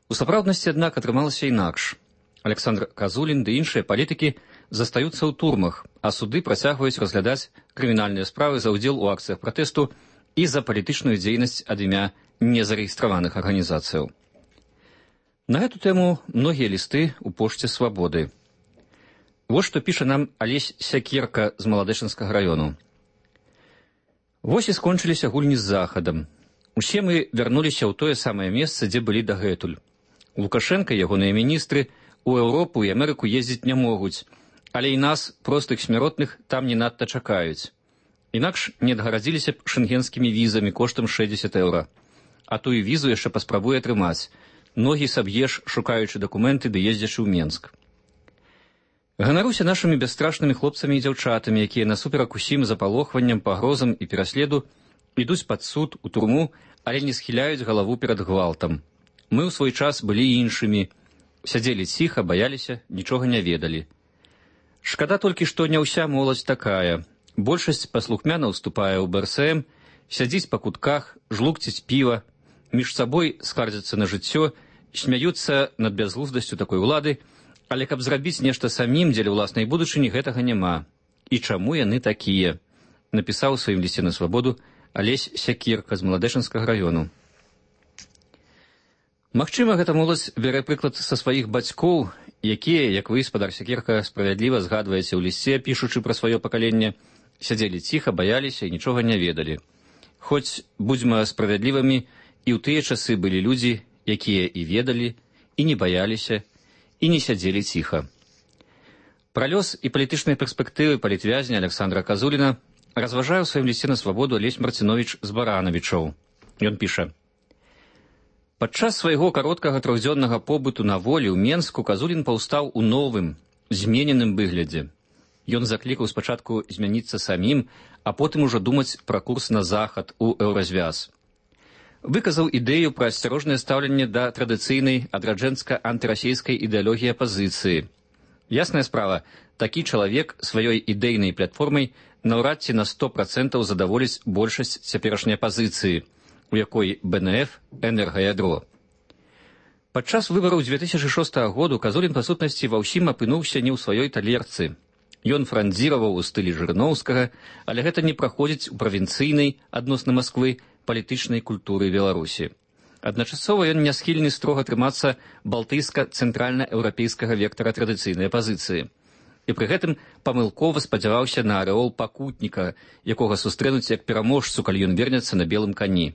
У сапраўднасці, аднак, атрымалася інакш. Александр Казулін ды іншыя палітыкі застаюцца ў турмах, а суды працягваюць разглядаць крымінальныя справы за ўдзел у акцыях пратэсту і за палітычную дзейнасць ад імя незарэгістраваных арганізацыяў. На гэту тэму многія лісты ў пошце свабоды. Вось што піша нам Алесь Сякерка з Маладэчынскага раёну. Вось і скончыліся гульні з Захадам. Усе мы вярнуліся ў тое самае месца, дзе былі дагэтуль. Лукашенка і ягоныя міністры у Еўропу і Амерыку ездзіць не могуць, але і нас, простых смяротных, там не надта чакаюць. Інакш не адгарадзіліся б шэнгенскімі візамі коштам шэсцьдзесят еўра. А тую візу яшчэ паспрабуе атрымаць. Ногі саб'еш, шукаючы дакументы ды ездзячы ў Менск. Ганаруся нашымі бясстрашнымі хлопцамі і дзяўчатамі, якія насуперак усім запалохванням, пагрозам і пераследу ідуць пад суд, у турму, але не схіляюць галаву перад гвалтам. Мы ў свой час былі іншымі. Сядзелі ціха, баяліся, нічога не ведалі. Шкада толькі, што не ўся моладзь такая. Большасць паслухмяна ўступае ў бэ эс эм, сядзіць па кутках, жлукціць піва, між сабой скардзяцца на жыццё, смяюцца над бязглуздасцю такой улады, але каб зрабіць нешта самім дзеля ўласнай будучыні, гэтага няма. І чаму яны такія? Напісаў у сваім лісце на свабоду Алесь Сякерка з Маладэчынскага раёну. Магчыма, гэта моладзь бярэ прыклад са сваіх бацькоў, якія, як вы, спадар Сякерка, справядліва згадваеце ў лісце, пішучы пра сваё пакаленне, сядзелі ціха, баяліся і нічога не ведалі. Хоць, будзьма справядлівымі, і ў тыя часы былі людзі, якія і ведалі, і не баяліся, і не сядзелі ціха. Пра лёс і палітычныя перспектывы палітвязня Александра Казуліна разважае ў сваім лісце на свабоду Алесь Марцинович з Баранавічоў. Ён піша: падчас свайго кароткага трохдзённага побыту на волі ў Менску Казулін паўстаў у новым, змененым выглядзе. Ён заклікаў спачатку змяніцца самім, а потым ужо думаць пра курс на захад у еўразвяз. Выказаў ідэю пра асцярожнае стаўленне да традыцыйнай адраджэнска-антырасійскай ідэалогіі апазіцыі. Ясная справа, такі чалавек сваёй ідэйнай платформай наўрад ці на сто працэнтаў задаволіць большасць цяперашняй апазіцыі, у якой бэ эн эф энергаядро. Падчас выбараў дзве тысячы шостага году Казулін, па сутнасці, ва ўсім апынуўся не ў сваёй талерцы. Ён франдзіраваў у стылі Жырыноўскага, але гэта не праходзіць у правінцыйнай, адносна Масквы, палітычнай культуры Беларусі. Адначасова ён не схільны строга трымацца балтыйска-цэнтральна-еўрапейскага вектара традыцыйнай апазіцыі. І пры гэтым памылкова спадзяваўся на арэол пакутніка, якога сустрэнуць як пераможцу, калі ён вернецца на белым кані.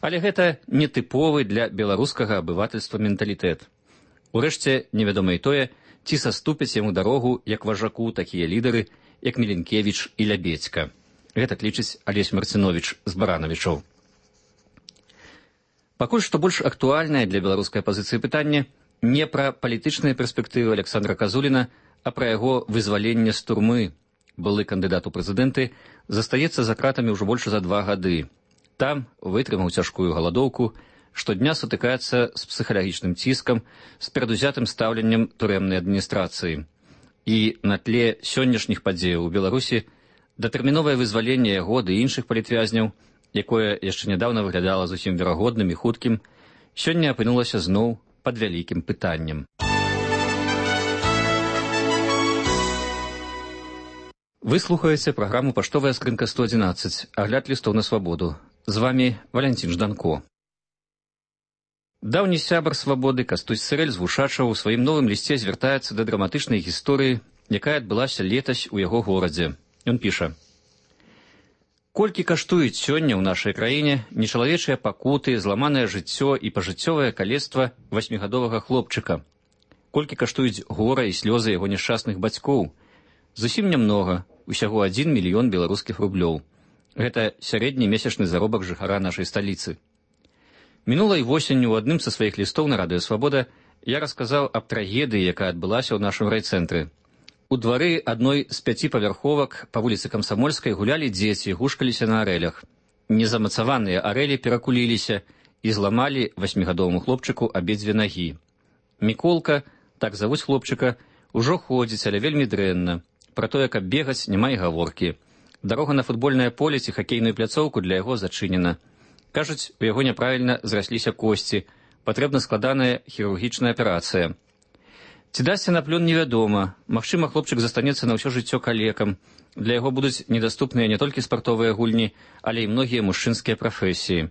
Але гэта не тыповы для беларускага абывательства менталітэт. Урэшце, невядома і тое, ці саступяць яму дарогу як важаку такія лідары, як Міленкевіч і Лябедзька. Гэта лічыць Алесь Марцинович з Баранавічоў. Пакуль што больш актуальнае для беларускай апазіцыі пытанне не пра палітычныя перспектывы Александра Казуліна, а пра яго вызваленне з турмы. Былы кандыдат у прэзідэнты застаецца за кратамі ўжо больш за два гады. Там вытрымаў цяжкую галадоўку, штодня сутыкаецца з псіхалагічным ціскам, з перадузятым стаўленнем турэмнай адміністрацыі. І на тле сённяшніх падзеяў у Беларусі датэрміновае вызваленне яго ды іншых палітвязняў, якое яшчэ нядаўна выглядала зусім верагодным і хуткім, сёння апынулася зноў пад вялікім пытаннем. Вы слухаеце праграму «Паштовая скрынка сто адзінаццаць», агляд лістоў на свабоду. З вамі Валянцін Жданко. Даўні сябар свабоды Кастусь Сырэль з Вушачаў у сваім новым лісце звяртаецца да драматычнай гісторыі, якая адбылася летась у яго горадзе. Ён піша: колькі каштуюць сёння ў нашай краіне нечалавечыя пакуты, зламанае жыццё і пажыццёвае калецтва васьмігадовага хлопчыка? Колькі каштуюць гора і слёзы яго няшчасных бацькоў? Зусім нямнога, усяго адзін мільён беларускіх рублёў. Гэта сярэдні месячны заробак жыхара нашай сталіцы. Мінулай восенню ў адным са сваіх лістоў на радыё «Свабода» я расказаў аб трагедыі, якая адбылася ў нашым райцэнтры. У двары адной з пяці павярховак па вуліцы Камсамольскай гулялі дзеці, гушкаліся на арэлях. Незамацаваныя арэлі перакуліліся і зламалі васьмігадоваму хлопчыку абедзве нагі. Міколка, так завуць хлопчыка, Ужо ходзіць, але вельмі дрэнна. Пра тое, каб бегаць, няма і гаворкі. Дарога на футбольнае поле ці хакейную пляцоўку для яго зачынена. Кажуць, у яго няправільна зрасліся косці, патрэбна складаная хірургічная аперацыя. Ці дасся на плён невядома. Магчыма, хлопчык застанецца на ўсё жыццё калекам. Для яго будуць недаступныя не толькі спартовыя гульні, але і многія мужчынскія прафесіі.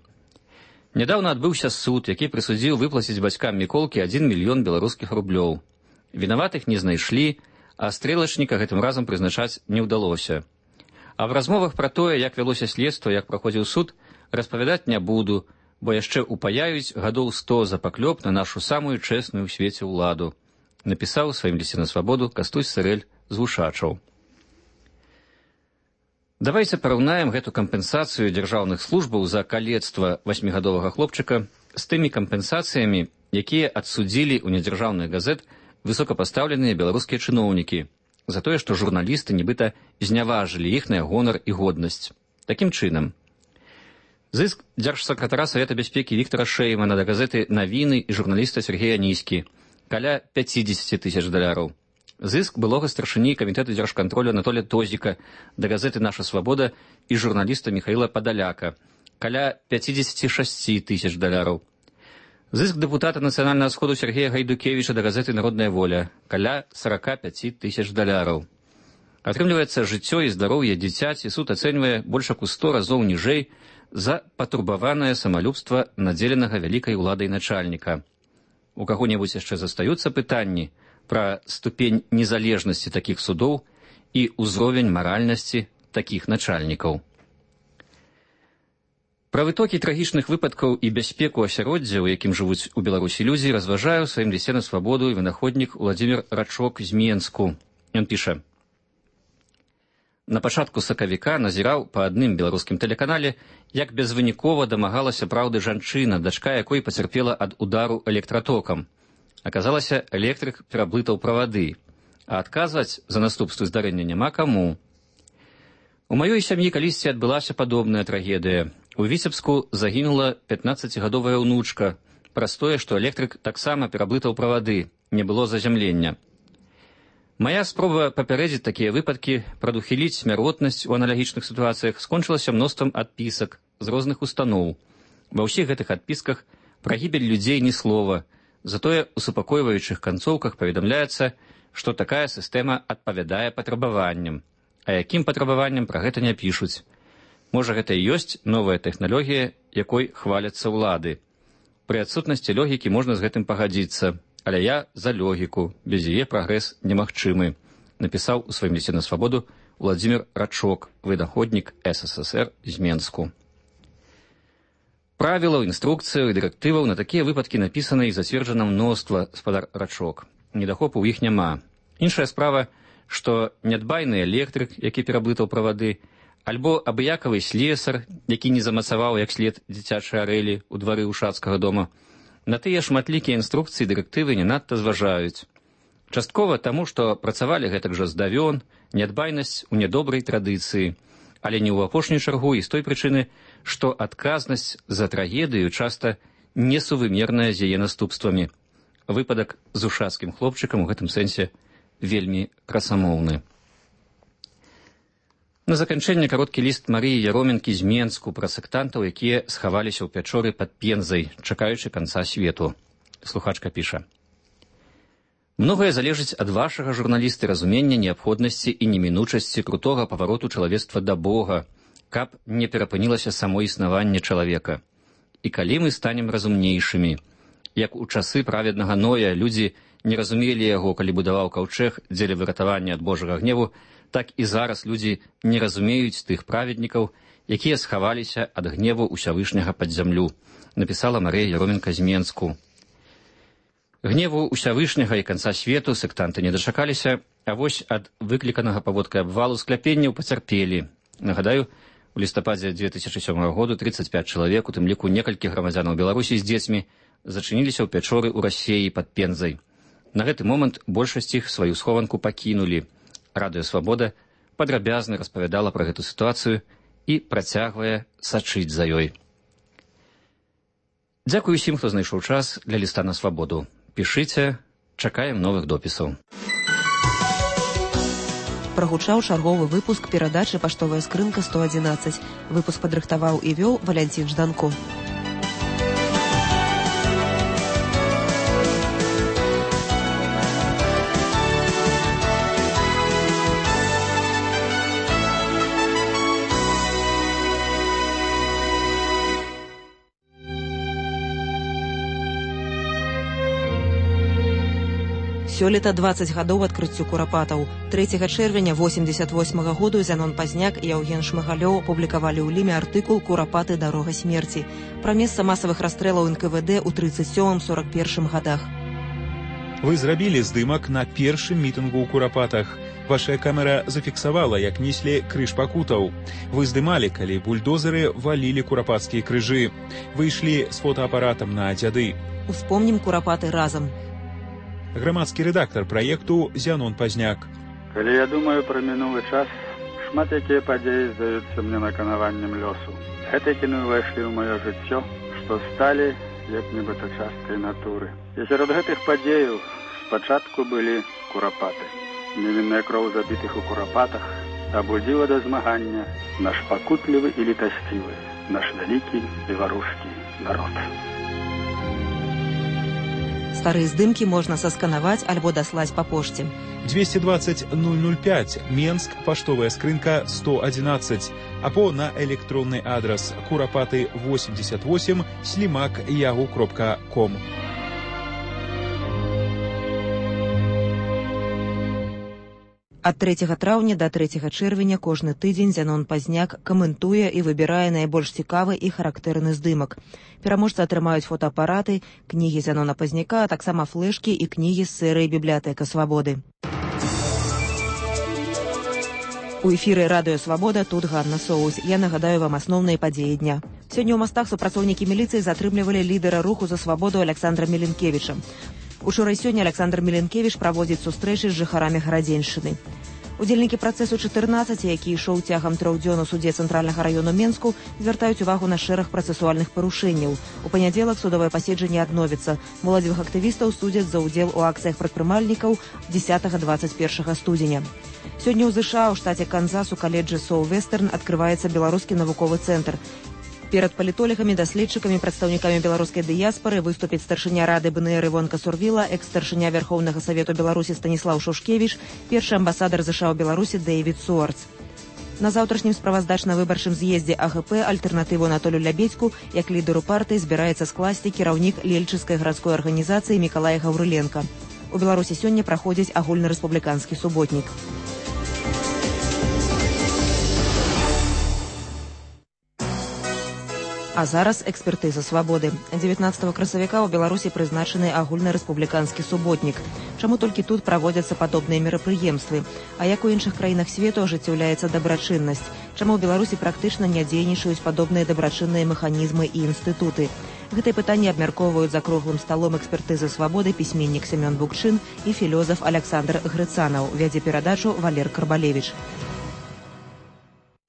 Нядаўна адбыўся суд, які прысудзіў выплаціць бацькам Міколкі адзін мільён беларускіх рублёў. Вінаватых не знайшлі, а стрэлачніка гэтым разам прызначаць не ўдалося. А в размовах пра тое, як вялося следства, як праходзіў суд, распавядаць не буду, бо яшчэ упаяюць гадоў сто за паклёп на нашу самую чэсную ў свеце ўладу. Напісаў у сваім лісце на свабоду Кастусь Сырэль з Вушачаў. Давайце параўнаем гэту кампенсацыю дзяржаўных службаў за калецтва васьмігадовага хлопчыка з тымі кампенсацыямі, якія адсудзілі ў нядзяржаўных газет высокапастаўленыя беларускія чыноўнікі за тое, што журналісты нібыта зняважылі іхныя гонар і годнасць. Такім чынам, зыск дзяржсакратара Савета бяспекі Віктара Шэймана да газеты «Навіны» і журналіста Сергея Ніські каля пяцідзесяці тысяч даляраў. Зыск былога старшыні камітэту дзяржкантролю Анатолія Тозіка да газеты «Наша свабода» і журналіста Міхаіла Падаляка каля пяцідзесяці шасці тысяч даляраў. Зыск дэпутата Нацыянальнага сходу Сергея Гайдукевіча да газеты «Народная воля» каля сарака пяці тысяч даляраў. Атрымліваецца, жыццё і здароўе дзіцяці суд ацэньвае больш як у сто разоў ніжэй за патурбаванае самалюбства надзеленага вялікай уладай начальніка. У каго-небудзь яшчэ застаюцца пытанні пра ступень незалежнасці такіх судоў і ўзровень маральнасці такіх начальнікаў. Пра вытокі трагічных выпадкаў і бяспеку асяроддзя, у якім жывуць у Беларусі людзі, разважае ў сваім лісце на свабоду і вынаходнік Уладзімір Рачок з Менску. Ён піша: на пачатку сакавіка назіраў па адным беларускім тэлеканале, як безвынікова дамагалася праўды жанчына, дачка якой пацярпела ад удару электратокам. Аказалася, электрык пераблытаў правады, а адказваць за наступствы здарэння няма каму. У маёй сям'і калісьці адбылася падобная трагедыя. У Віцебску загінула пятнаццацігадовая ўнучка праз тое, што электрык таксама пераблытаў правады, не было зазямлення. Мая спроба папярэдзіць такія выпадкі, прадухіліць смяротнасць у аналагічных сітуацыях скончылася мноствам адпісак з розных устаноў. Ва ўсіх гэтых адпісках пра гібель людзей ні слова, затое у супакойваючых канцоўках паведамляецца, што такая сістэма адпавядае патрабаванням. А якім патрабаванням пра гэта не пішуць. Можа, гэта і ёсць новая тэхналогія, якой хваляцца ўлады. Пры адсутнасці логікі можна з гэтым пагадзіцца, але я за логіку, без яе прагрэс немагчымы, напісаў у сваім лісце на свабоду Уладзімір Рачок, вынаходнік эс эс эс эр з Менску. Правілаў, інструкцыяў і дырэктываў на такія выпадкі напісана і зацверджана мноства, спадар Рачок. Недахопу ў іх няма. Іншая справа, што нядбайны электрык, які пераблытаў правады, альбо абыякавы слесар, які не замацаваў як след дзіцячай арэлі ў двары Ушацкага дома, на тыя шматлікія інструкцыі дырэктывы не надта зважаюць. Часткова таму, што працавалі гэтак жа здавён, нядбайнасць у нядобрай традыцыі, але не ў апошнюю чаргу і з той прычыны, што адказнасць за трагедыю часта несувымерная з яе наступствамі. Выпадак з ушацкім хлопчыкам у гэтым сэнсе вельмі красамоўны. На заканчэнне кароткі ліст Марыі Яроменкі з Менску пра сектантаў, якія схаваліся ў пячоры пад Пензай, чакаючы канца свету. Слухачка піша: многае залежыць ад вашага, журналісты, разумення неабходнасці і немінучасці крутога павароту чалавецтва да Бога, каб не перапынілася само існаванне чалавека. І калі мы станем разумнейшымі, як у часы праведнага Ноя людзі не разумелі яго, калі будаваў каўчэг дзеля выратавання ад Божага гневу, так і зараз людзі не разумеюць тых праведнікаў, якія схаваліся ад гневу ўсявышняга пад зямлю, напісала Марыя Яроменка з Менску. Гневу ўсявышняга і канца свету сектанты не дачакаліся, а вось ад выкліканага паводкай абвалу скляпенняў пацярпелі. Нагадаю, у лістападзе дзве тысячы сёмага году трыццаць пяць чалавек, у тым ліку некалькі грамадзянаў Беларусі з дзецьмі, зачыніліся ў пячоры ў Расеі пад Пензай. На гэты момант большасць іх сваю схованку пакінулі. Радыё Свабода падрабязна распавядала пра гэту сітуацыю і працягвае сачыць за ёй. Дзякую усім, хто знайшоў час для ліста на свабоду. Пішыце, чакаем новых допісаў. Прагучаў чарговы выпуск перадачы «Паштовая скрынка сто адзінаццаць». Выпуск падрыхтаваў і вёў Валянцін Жданко. Сёлета дваццаць гадоў адкрыццю курапатаў. трэцяга чэрвеня восемьдесят восьмага году Зянон Пазняк і Яўген Шмыгалёў апублікавалі ў ліме артыкул «Курапаты. Дарога смерці» пра месца масавых расстрэлаў эн ка вэ дэ ў трыццаць сёмым — сорак першым гадах. Вы зрабілі здымак на першым мітынгу ў курапатах. Ваша камера зафіксавала, як неслі крыж пакутаў. Вы здымалі, калі бульдозеры валілі курапацкія крыжы. Вы ішлі з фотоапаратам на дзяды. Успомнім курапаты разам. Грамадскі рэдактар праекту Зянон Пазняк. Калі я думаю пра мінулы час, шмат якія падзеі здаюцца мне наканаваннем лёсу. Гэтыя кіны ўвайшлі ў маё жыццё, што сталі як нібыта часткай натуры. І сярод гэтых падзеяў спачатку былі курапаты. Невінная кроў забітых у курапатах абудзіла да змагання наш пакутлівы і літасцівы, наш вялікі беларускі народ. Старыя здымкі можна сасканаваць альбо даслаць па пошце. двести двадцать ноль ноль пять, Менск, паштовая скрынка сто адзінаццаць, або на электронны адрас курапаты восемьдесят восемь слимак ягу кропка ком. Ад трэцяга траўня да трэцяга чэрвеня кожны тыдзень Зянон Пазняк каментуе і выбірае найбольш цікавы і характэрны здымак. Пераможцы атрымаюць фотоапараты, кнігі Зянона Пазняка, а таксама флэшкі і кнігі з серыі «Бібліятэка свабоды». У эфіры радыё «Свабода», тут Ганна Соус. Я нагадаю вам асноўныя падзеі дня. Сёння ў мастах супрацоўнікі міліцыі затрымлівалі лідара руху за свабоду Александра Міленкевіча. Учора і сёння Александр Міленкевіч праводзіць сустрэчы з жыхарамі гарадзеншчыны. Удзельнікі працэсу чатырнаццаць, які ішоў цягам трох дзён у судзе цэнтральнага раёну Менску, звяртаюць увагу на шэраг працэсуальных парушэнняў. У панядзелак судовае паседжанне адновіцца. Моладзевых актывістаў судзяць за ўдзел у акцыях прадпрымальнікаў дзесятага — дваццаць першага студзеня. Сёння ў ЗША ў штаце Канзас у каледжы Соу-Вестерн адкрываецца беларускі навуковы цэнтр. Перад палітолагамі, даследчыкамі, прадстаўнікамі беларускай дыяспары выступіць старшыня рады бэ эн эр Івонка Сурвіла, экс-старшыня Вярхоўнага савету Беларусі Станіслаў Шушкевіч, першы амбасадар ЗША ў Беларусі Дэйвід Суарц. На заўтрашнім справаздачна-выбарчым з'ездзе а гэ пэ альтэрнатыву Анатолю Лябедзьку як лідару партыі збіраецца скласці кіраўнік Лельчыцкай гарадской арганізацыі Мікалай Гаўрыленка. У Беларусі сёння праходзіць агульнарэспубліканскі суботнік. А зараз экспертыза свабоды. дзевятнаццатага красавіка ў Беларусі прызначаны агульнарэспубліканскі суботнік. Чаму толькі тут праводзяцца падобныя мерапрыемствы? А як у іншых краінах свету ажыццяўляецца дабрачыннасць? Чаму ў Беларусі практычна не дзейнічаюць падобныя дабрачынныя механізмы і інстытуты? Гэтыя пытанні абмяркоўваюць за круглым сталом экспертызы свабоды пісьменнік Семён Букчын і філёзаф Александр Грыцанаў. Вядзе перадачу Валер Карбалевіч.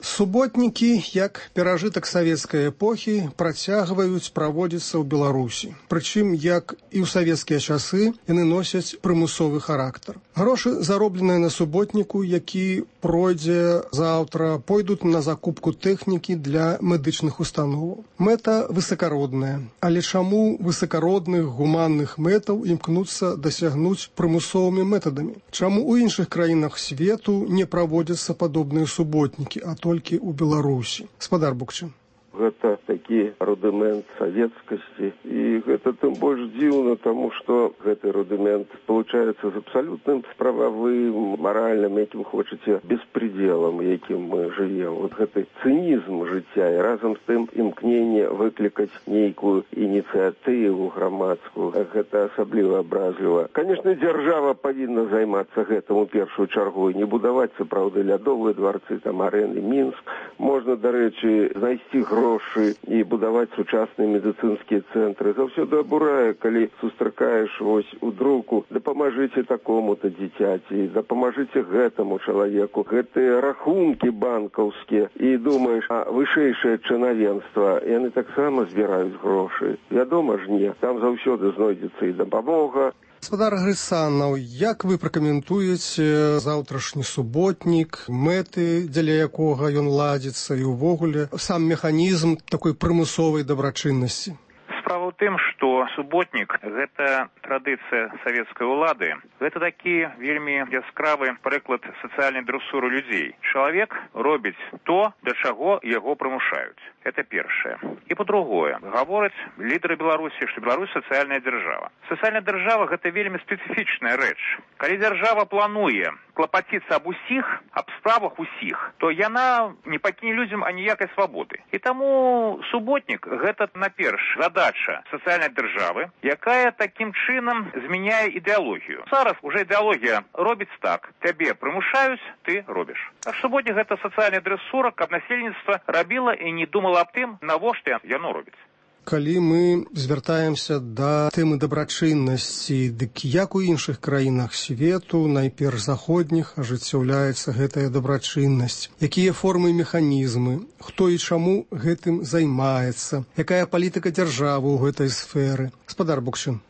Суботнікі, як перажытак савецкай эпохі, працягваюць праводзіцца ў Беларусі. Прычым, як і ў савецкія часы, яны носяць прымусовы характар. Грошы, заробленыя на суботніку, які пройдзе заўтра, пойдуць на закупку тэхнікі для медычных установаў. Мэта высакародная. Але чаму высакародных гуманных мэтаў імкнуцца дасягнуць прымусовымі метадамі? Чаму ў іншых краінах свету не праводзяцца падобныя суботнікі, а толькі толькі ў Беларусі? Спадар Букчын. Гэта такі рудымент савецкасці, і гэта тым больш дзіўна, таму што гэты рудымент спалучаецца з абсалютным прававым, маральным, якім хочаце, беспредзелам, якім мы жывем. Вот гэты цынізм жыцця і разам з тым імкненне выклікаць нейкую ініцыятыву грамадскую. Гэта асабліва абразліва. Канешне, дзяржава павінна займацца гэтым у першую чаргу і не будаваць, сапраўды, лядовыя дварцы, там арэны, Мінск. Можна, дарэчы, знайсці грошы грошы і будаваць сучасныя медыцынскія цэнтры. Заўсёды абурае, калі сустракаеш вось у друку: дапамажыце такому-то дзіцяці, дапамажыце гэтаму чалавеку. Гэтыя рахункі банкаўскія. І думаеш, а вышэйшае чынавенства, яны таксама збіраюць грошы. Вядома ж не. Там заўсёды знойдзецца і дапамога. Гаспадар Грысанаў, як вы пракаментуеце заўтрашні суботнік, мэты, дзеля якога ён ладзіцца, і ўвогуле сам механізм такой прымусовай дабрачыннасці? Справа ў тым, што суботнік – гэта традыцыя савецкай улады. Гэта такі вельмі яскравы прыклад сацыяльнай дрэсуры людзей. Чалавек робіць то, да чаго яго прымушаюць. Это першае. І па-другое, гавораць лідары Беларусі, што Беларусь сацыяльная дзяржава. Сацыяльная дзяржава – гэта вельмі спецыфічная рэч. Калі дзяржава плануе клапаціцца аб усіх, аб справах усіх, то яна не пакіне людзям аніякай свабоды. І таму суботнік – гэта, наперш, задача сацыяльнай дзяржавы, якая такім чынам змяняе ідэалогію. Зараз уже ідэалогія робіць так. Цябе прымушаюць, ты робіш. А суботнік – гэта сацыяльная дрэсура, каб насельніцтва рабіла і не думала аб тым, навошта яно робіць. Калі мы звяртаемся да тэмы дабрачыннасці, дык як у іншых краінах свету, найперш заходніх, ажыццяўляецца гэтая дабрачыннасць? Якія формы і механізмы? Хто і чаму гэтым займаецца? Якая палітыка дзяржавы ў гэтай сферы? Гаспадар Букчин.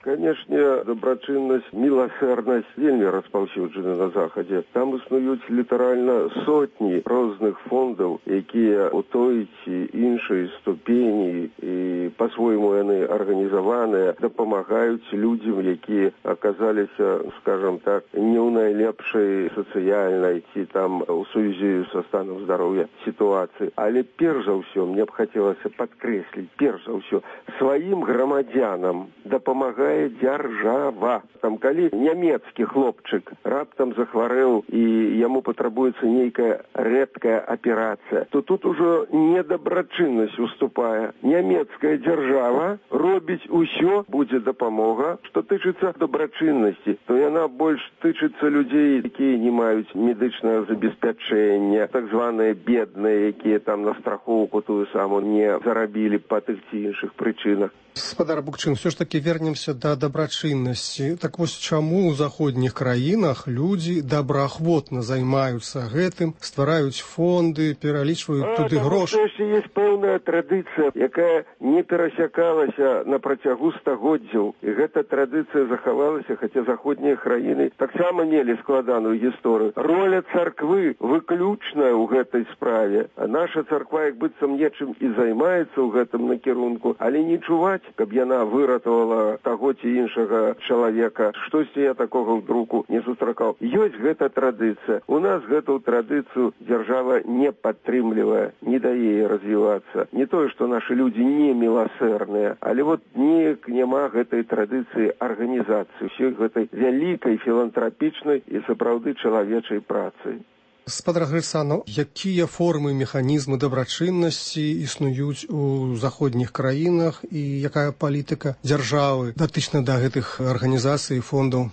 Канешне, дабрачыннасць, міласэрнасць вельмі распаўсюджаны на Захадзе. Там існуюць літаральна сотні розных фондаў, якія ў той ці іншай ступені і па-свойму яны арганізаваныя, дапамагаюць людзям, якія аказаліся, скажам так, не ў найлепшай сацыяльнай ці там у сувязі са станам здароўя сітуацыі. Але перш за ўсё, мне б хацелася падкрэсліць, перш за ўсё, сваім грамадзянам дапамагае дзяржава. Там, калі нямецкі хлопчык раптам захварэў і яму патрабуецца нейкая рэдкая аперацыя, то тут ужо недабрачыннасць уступае. Нямецкая дзяржава робіць усё, будзе дапамога. Што тычыцца дабрачыннасці, то яна больш тычыцца людзей, якія не маюць медычнага забеспячэння, так званыя бедныя, якія там на страхоўку тую саму не зарабілі па тых ці іншых прычынах. Гаспадар Букчин, все ж таки вернемся да дабрачыннасці. Так вось чаму ў заходніх краінах людзі добраахвотна займаюцца гэтым, ствараюць фонды, пералічваюць туды грошы? Таму што ёсць пэўная традыцыя, якая не перасякалася на працягу стагоддзяў. І гэта традыцыя захавалася, хаця заходнія краіны таксама мелі складаную гісторыю. Роля царквы выключная ў гэтай справе. А наша царква як быццам нечым і займаецца ў гэтым накірунку, але не чуваць, каб яна выратавала таго ці іншага чалавека. Штосьці я такога вдруг не сустракаў. Ёсць гэта традыцыя. У нас гэту традыцыю дзяржава не падтрымлівае, не дае развівацца. Не тое, што нашы людзі не міласэрныя, але вот неяк няма гэтай традыцыі арганізацыі, усёй гэтай вялікай філантрапічнай і сапраўды чалавечай працы. Гаспадар Грысанаў, якія формы і механізмы дабрачыннасці існуюць у заходніх краінах і якая палітыка дзяржавы датычна да гэтых арганізацый і фондаў?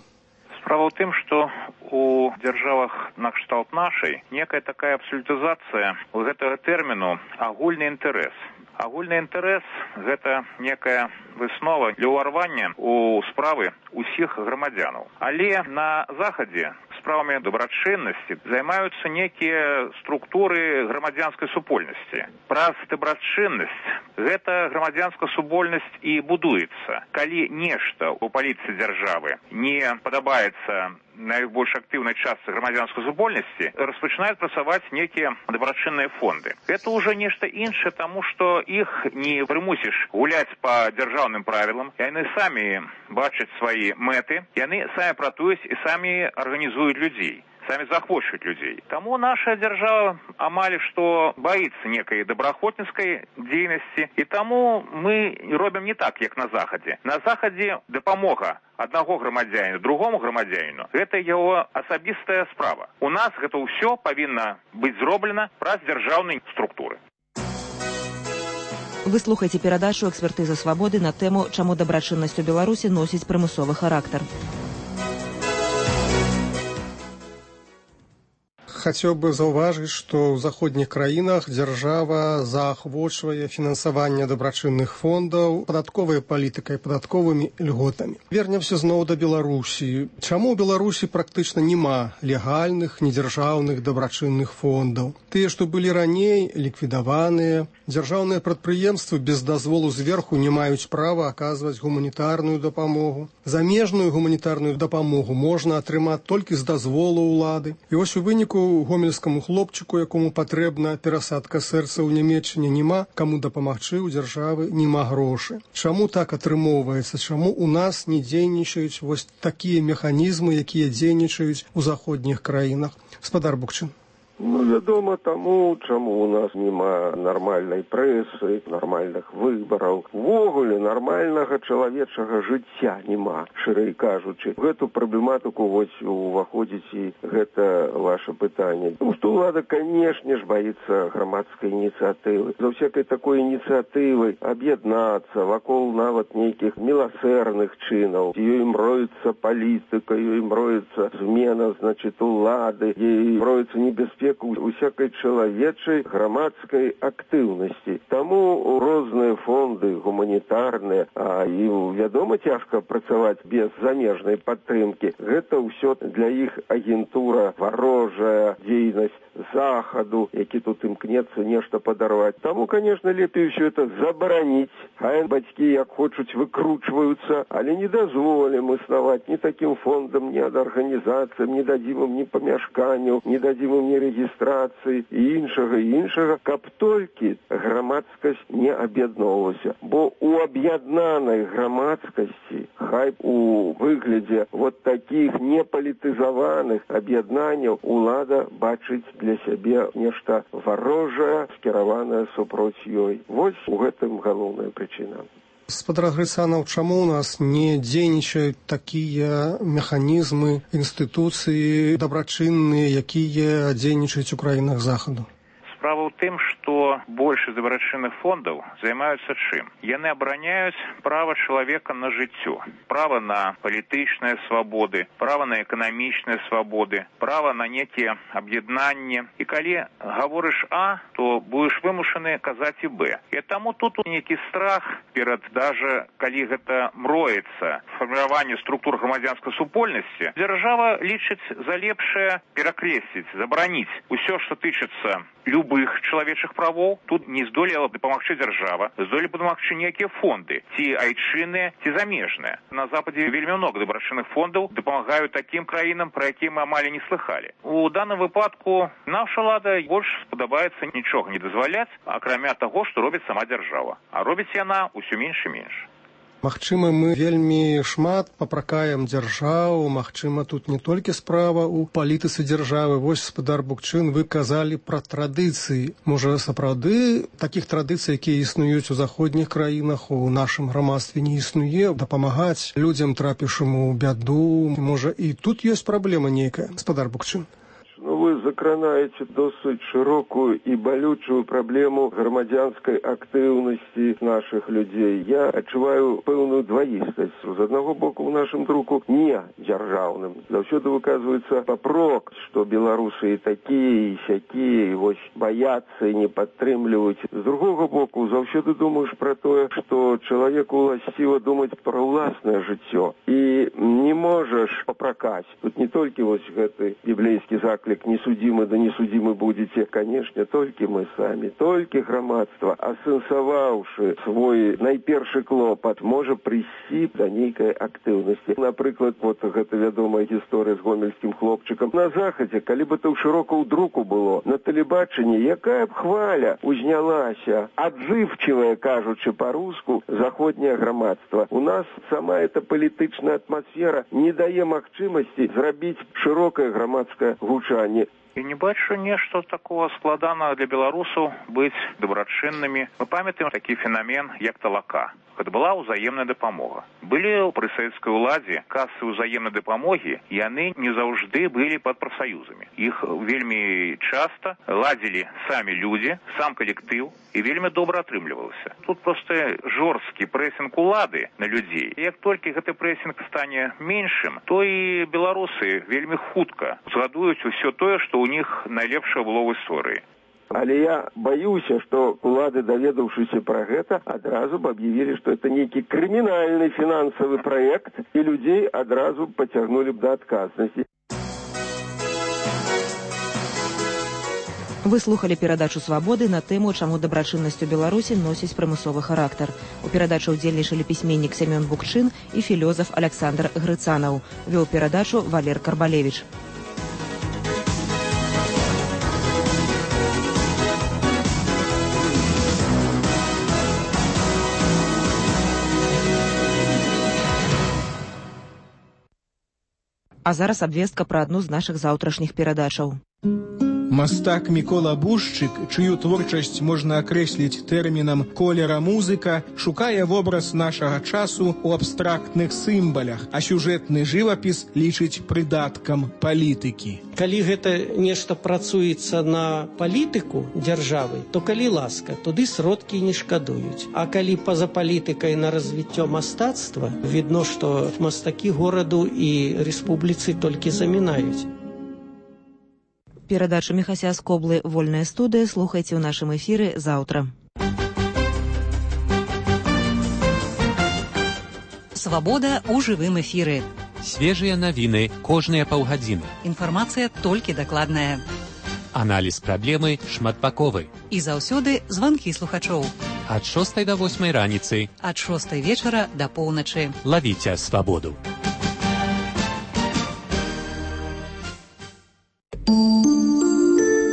Справа ў тым, што у дзяржавах накшталт нашай некая такая абсалютызацыя у гэтага тэрміну агульны інтарэс. Агульны інтарэс – гэта некая выснова для ўварвання ў справы ўсіх грамадзянаў. Але на Захадзе справамі дабрачыннасці займаюцца некія структуры грамадзянскай супольнасці. Праз дабрачыннасць гэта грамадзянская супольнасць і будуецца. Калі нешта ў палітыцы дзяржавы не падабаецца найбольш актыўнай частцы грамадзянскай супольнасці, распачынаюць працаваць некія дабрачынныя фонды. Гэта ўжо нешта іншае, таму што іх не прымусіш гуляць па дзяржаўным правілам. Яны самі бачаць свае мэты, яны самі пратуюць і самі арганізуюць людзей, самі захвочваюць людзей. Таму наша дзяржава амаль што баіцца некай добраахвотніцкай дзейнасці, і таму мы робім не так, як на Захадзе. На Захадзе дапамога аднаго грамадзяніну другому грамадзяніну – гэта яго асабістая справа. У нас гэта ўсё павінна быць зроблена праз дзяржаўныя структуры. Вы слухаеце перадачу «Экспертыза свабоды» на тэму «Чаму дабрачыннасць у Беларусі носіць прымусовы характар». Хацеў бы заўважыць, што ў заходніх краінах дзяржава заахвочвае фінансаванне дабрачынных фондаў падатковай палітыкай, падатковымі льготамі. Вернемся зноў да Беларусі. Чаму ў Беларусі практычна няма легальных, недзяржаўных дабрачынных фондаў? Тыя, што былі раней, ліквідаваныя. Дзяржаўныя прадпрыемствы без дазволу зверху не маюць права аказваць гуманітарную дапамогу. Замежную гуманітарную дапамогу можна атрымаць толькі з дазволу ўлады. І вось у выніку гомельскаму хлопчыку, якому патрэбна перасадка сэрца ў Нямецчыне, няма каму дапамагчы, у дзяржавы няма грошы. Чаму так атрымоўваецца? Чаму у нас не дзейнічаюць вось такія механізмы, якія дзейнічаюць у заходніх краінах? Спадар Букчин. Ну, вядома, таму, чаму у нас няма нармальнай прэсы, нармальных выбараў. Увогуле нармальнага чалавечага жыцця няма, шырэй кажучы. В гэту праблематыку вось уваходзіць і гэта ваше пытанне. Тому што ўлада, канешне ж, баіцца грамадскай ініцыятывы. За всякай такой ініцыятывы аб'яднацца вакол нават нейкіх міласэрных чынаў. Ёй мроецца палітыка, ёй мроецца змена, значит, улады, ёй мроецца небяспека усякай чалавечай грамадскай актыўнасці. Таму розныя фонды гуманітарныя, а ім, вядома, цяжка працаваць без замежнай падтрымкі. Гэта ўсё для іх агентура, варожая дзейнасць захаду, які тут імкнецца нешта падарваць. Таму, конечно, лепей ўсё это забараніць. Хай бацькі, як хочуць, выкручваюцца, але не дазволім існаваць ні такім фондам, ні ад арганізацыям, не дадзім ім ні памяшканняў, не дадзім ім ні рэгістрацыі і іншага, і іншага, каб толькі грамадскасць не аб'ядноўвалася. Бо у аб'яднанай грамадскасці, хай у выглядзе вот такіх непалітызаваных аб'яднанняў, улада бачыць для сябе нешта варожае, скіраванае супроць ёй. Вось у гэтым галоўная прычына. Спадар Грыцанаў, чаму у нас не дзейнічаюць такія механізмы, інстытуцыі дабрачынныя, якія дзейнічаюць у краінах захаду? Справа ў тым, што большасць дабрачынных фондаў займаюцца чым? Яны абараняюць права чалавека на жыццё, права на палітычныя свабоды, права на эканамічныя свабоды, права на некія аб'яднанні. І калі гаворыш А, то будзеш вымушаны казаць і Б. І таму тут нейкі страх перад, даже калі гэта мроецца фарміраванне структур грамадзянскай супольнасці, дзяржава лічыць за лепшае перакрэсліць, забараніць усё, што тычыцца любых чалавечых правоў. Тут не здолела дапамагчы дзяржава, здолелі дапамагчы нейкія фонды, ці айчынныя, ці замежныя. На Западзе вельмі много дабрачынных фондаў дапамагаюць такім краінам, пра якія мы амаль не слыхалі. У даным выпадку наша ўлада больш спадабаецца нічога не дазваляць, акрамя таго, што робіць сама дзяржава. А робіць яна ўсё менш і менш. Магчыма, мы вельмі шмат папракаем дзяржаву, магчыма, тут не толькі справа ў палітыцы дзяржавы. Вось, спадар Букчин, вы казалі пра традыцыі. Можа, сапраўды такіх традыцый, якія існуюць у заходніх краінах, у нашым грамадстве не існуе, дапамагаць людзям, трапіўшым у бяду. Можа, і тут ёсць праблема нейкая, спадар Букчин? Ну, вы закранаеце досыць шырокую і балючую праблему грамадзянскай актыўнасці нашых людзей. Я адчуваю пэўную дваістасць. З аднаго боку, у нашым друку не дзяржаўным. Заўсёды выказваецца папрок, што беларусы і такія, і сякія, і вось баяцца і не падтрымліваюць. З другога боку, заўсёды думаеш пра тое, што чалавеку ўласціва думаць пра ўласнае жыццё. І не можаш папракаць. Тут не толькі вось гэты біблейскі заклік «Несудимы, да несудимы будете», конечно, толькі мы самі, толькі грамадства, асэнсаваўшы свой найпершы клопат, можа прыйсці да нейкай актыўнасці. Напрыклад, вот гэта вядомая гісторыя з гомельскім хлопчыкам. На захадзе, калі бы то шырока ў друку было, на тэлебачанні, якая б хваля узнялася, адзывчывая, кажучы па-руску, заходняе грамадства. У нас сама эта палітычная атмасфера не дае магчымасці зрабіць шырокае грамадскае гучанне. І не бачу нешта такого складанага для беларусаў быць дабрачыннымі. Мы памятаем такі феномен, як талака. Гэта была ўзаемная дапамога. Былі пры савецкай уладзе касы ўзаемнай дапамогі, яны не заўжды былі пад прафсаюзамі. Іх вельмі часта ладзілі самі людзі, сам калектыў, і вельмі добра атрымлівалася. Тут проста жорсткі прэсінг улады на людзей. І як толькі гэты прэсінг стане меншым, то і беларусы вельмі хутка згадуюць усё тое, што у них найлепшае было ў гісторыі. Але я баюся, што улады, даведаўшыся пра гэта, адразу б аб'явілі, што это нейкі крымінальны фінансавы праект, і людзей адразу пацягнулі б да адказнасці. Вы слухали перадачу «Свабоды» на тэму, чаму дабрачыннасць у Беларусі носіць прымусовы характар. У перадачы ўдзельнічалі пісьменнік Семён Букчын і філёзаф Александр Грыцанаў. Вёў перадачу Валер Карбалевіч. А зараз абвестка пра адну з нашых заўтрашніх перадачаў. Мастак Мікола Бушчык, чыю творчасць можна акрэсліць тэрмінам колера музыка, шукае вобраз нашага часу ў абстрактных сімвалях, а сюжэтны жывапіс лічыць прыдаткам палітыкі. Калі гэта нешта працуецца на палітыку дзяржавы, то калі ласка, туды сродкі не шкадуюць. А калі па-за палітыкай на развіццё мастацтва, відно, што мастакі гораду і рэспубліцы толькі замінаюць. Перадачу Міхася Скоблы «Вольная студыя» слухайце ў нашым эфіры заўтра. Свабода ў жывым эфіры. Свежыя навіны кожныя паўгадзіны. Інфармацыя толькі дакладная. Аналіз праблемы шматбаковы. І заўсёды званкі слухачоў. Ад шостай да восьмай раніцы. Ад шостай вечара да поўначы. Лавіце свабоду.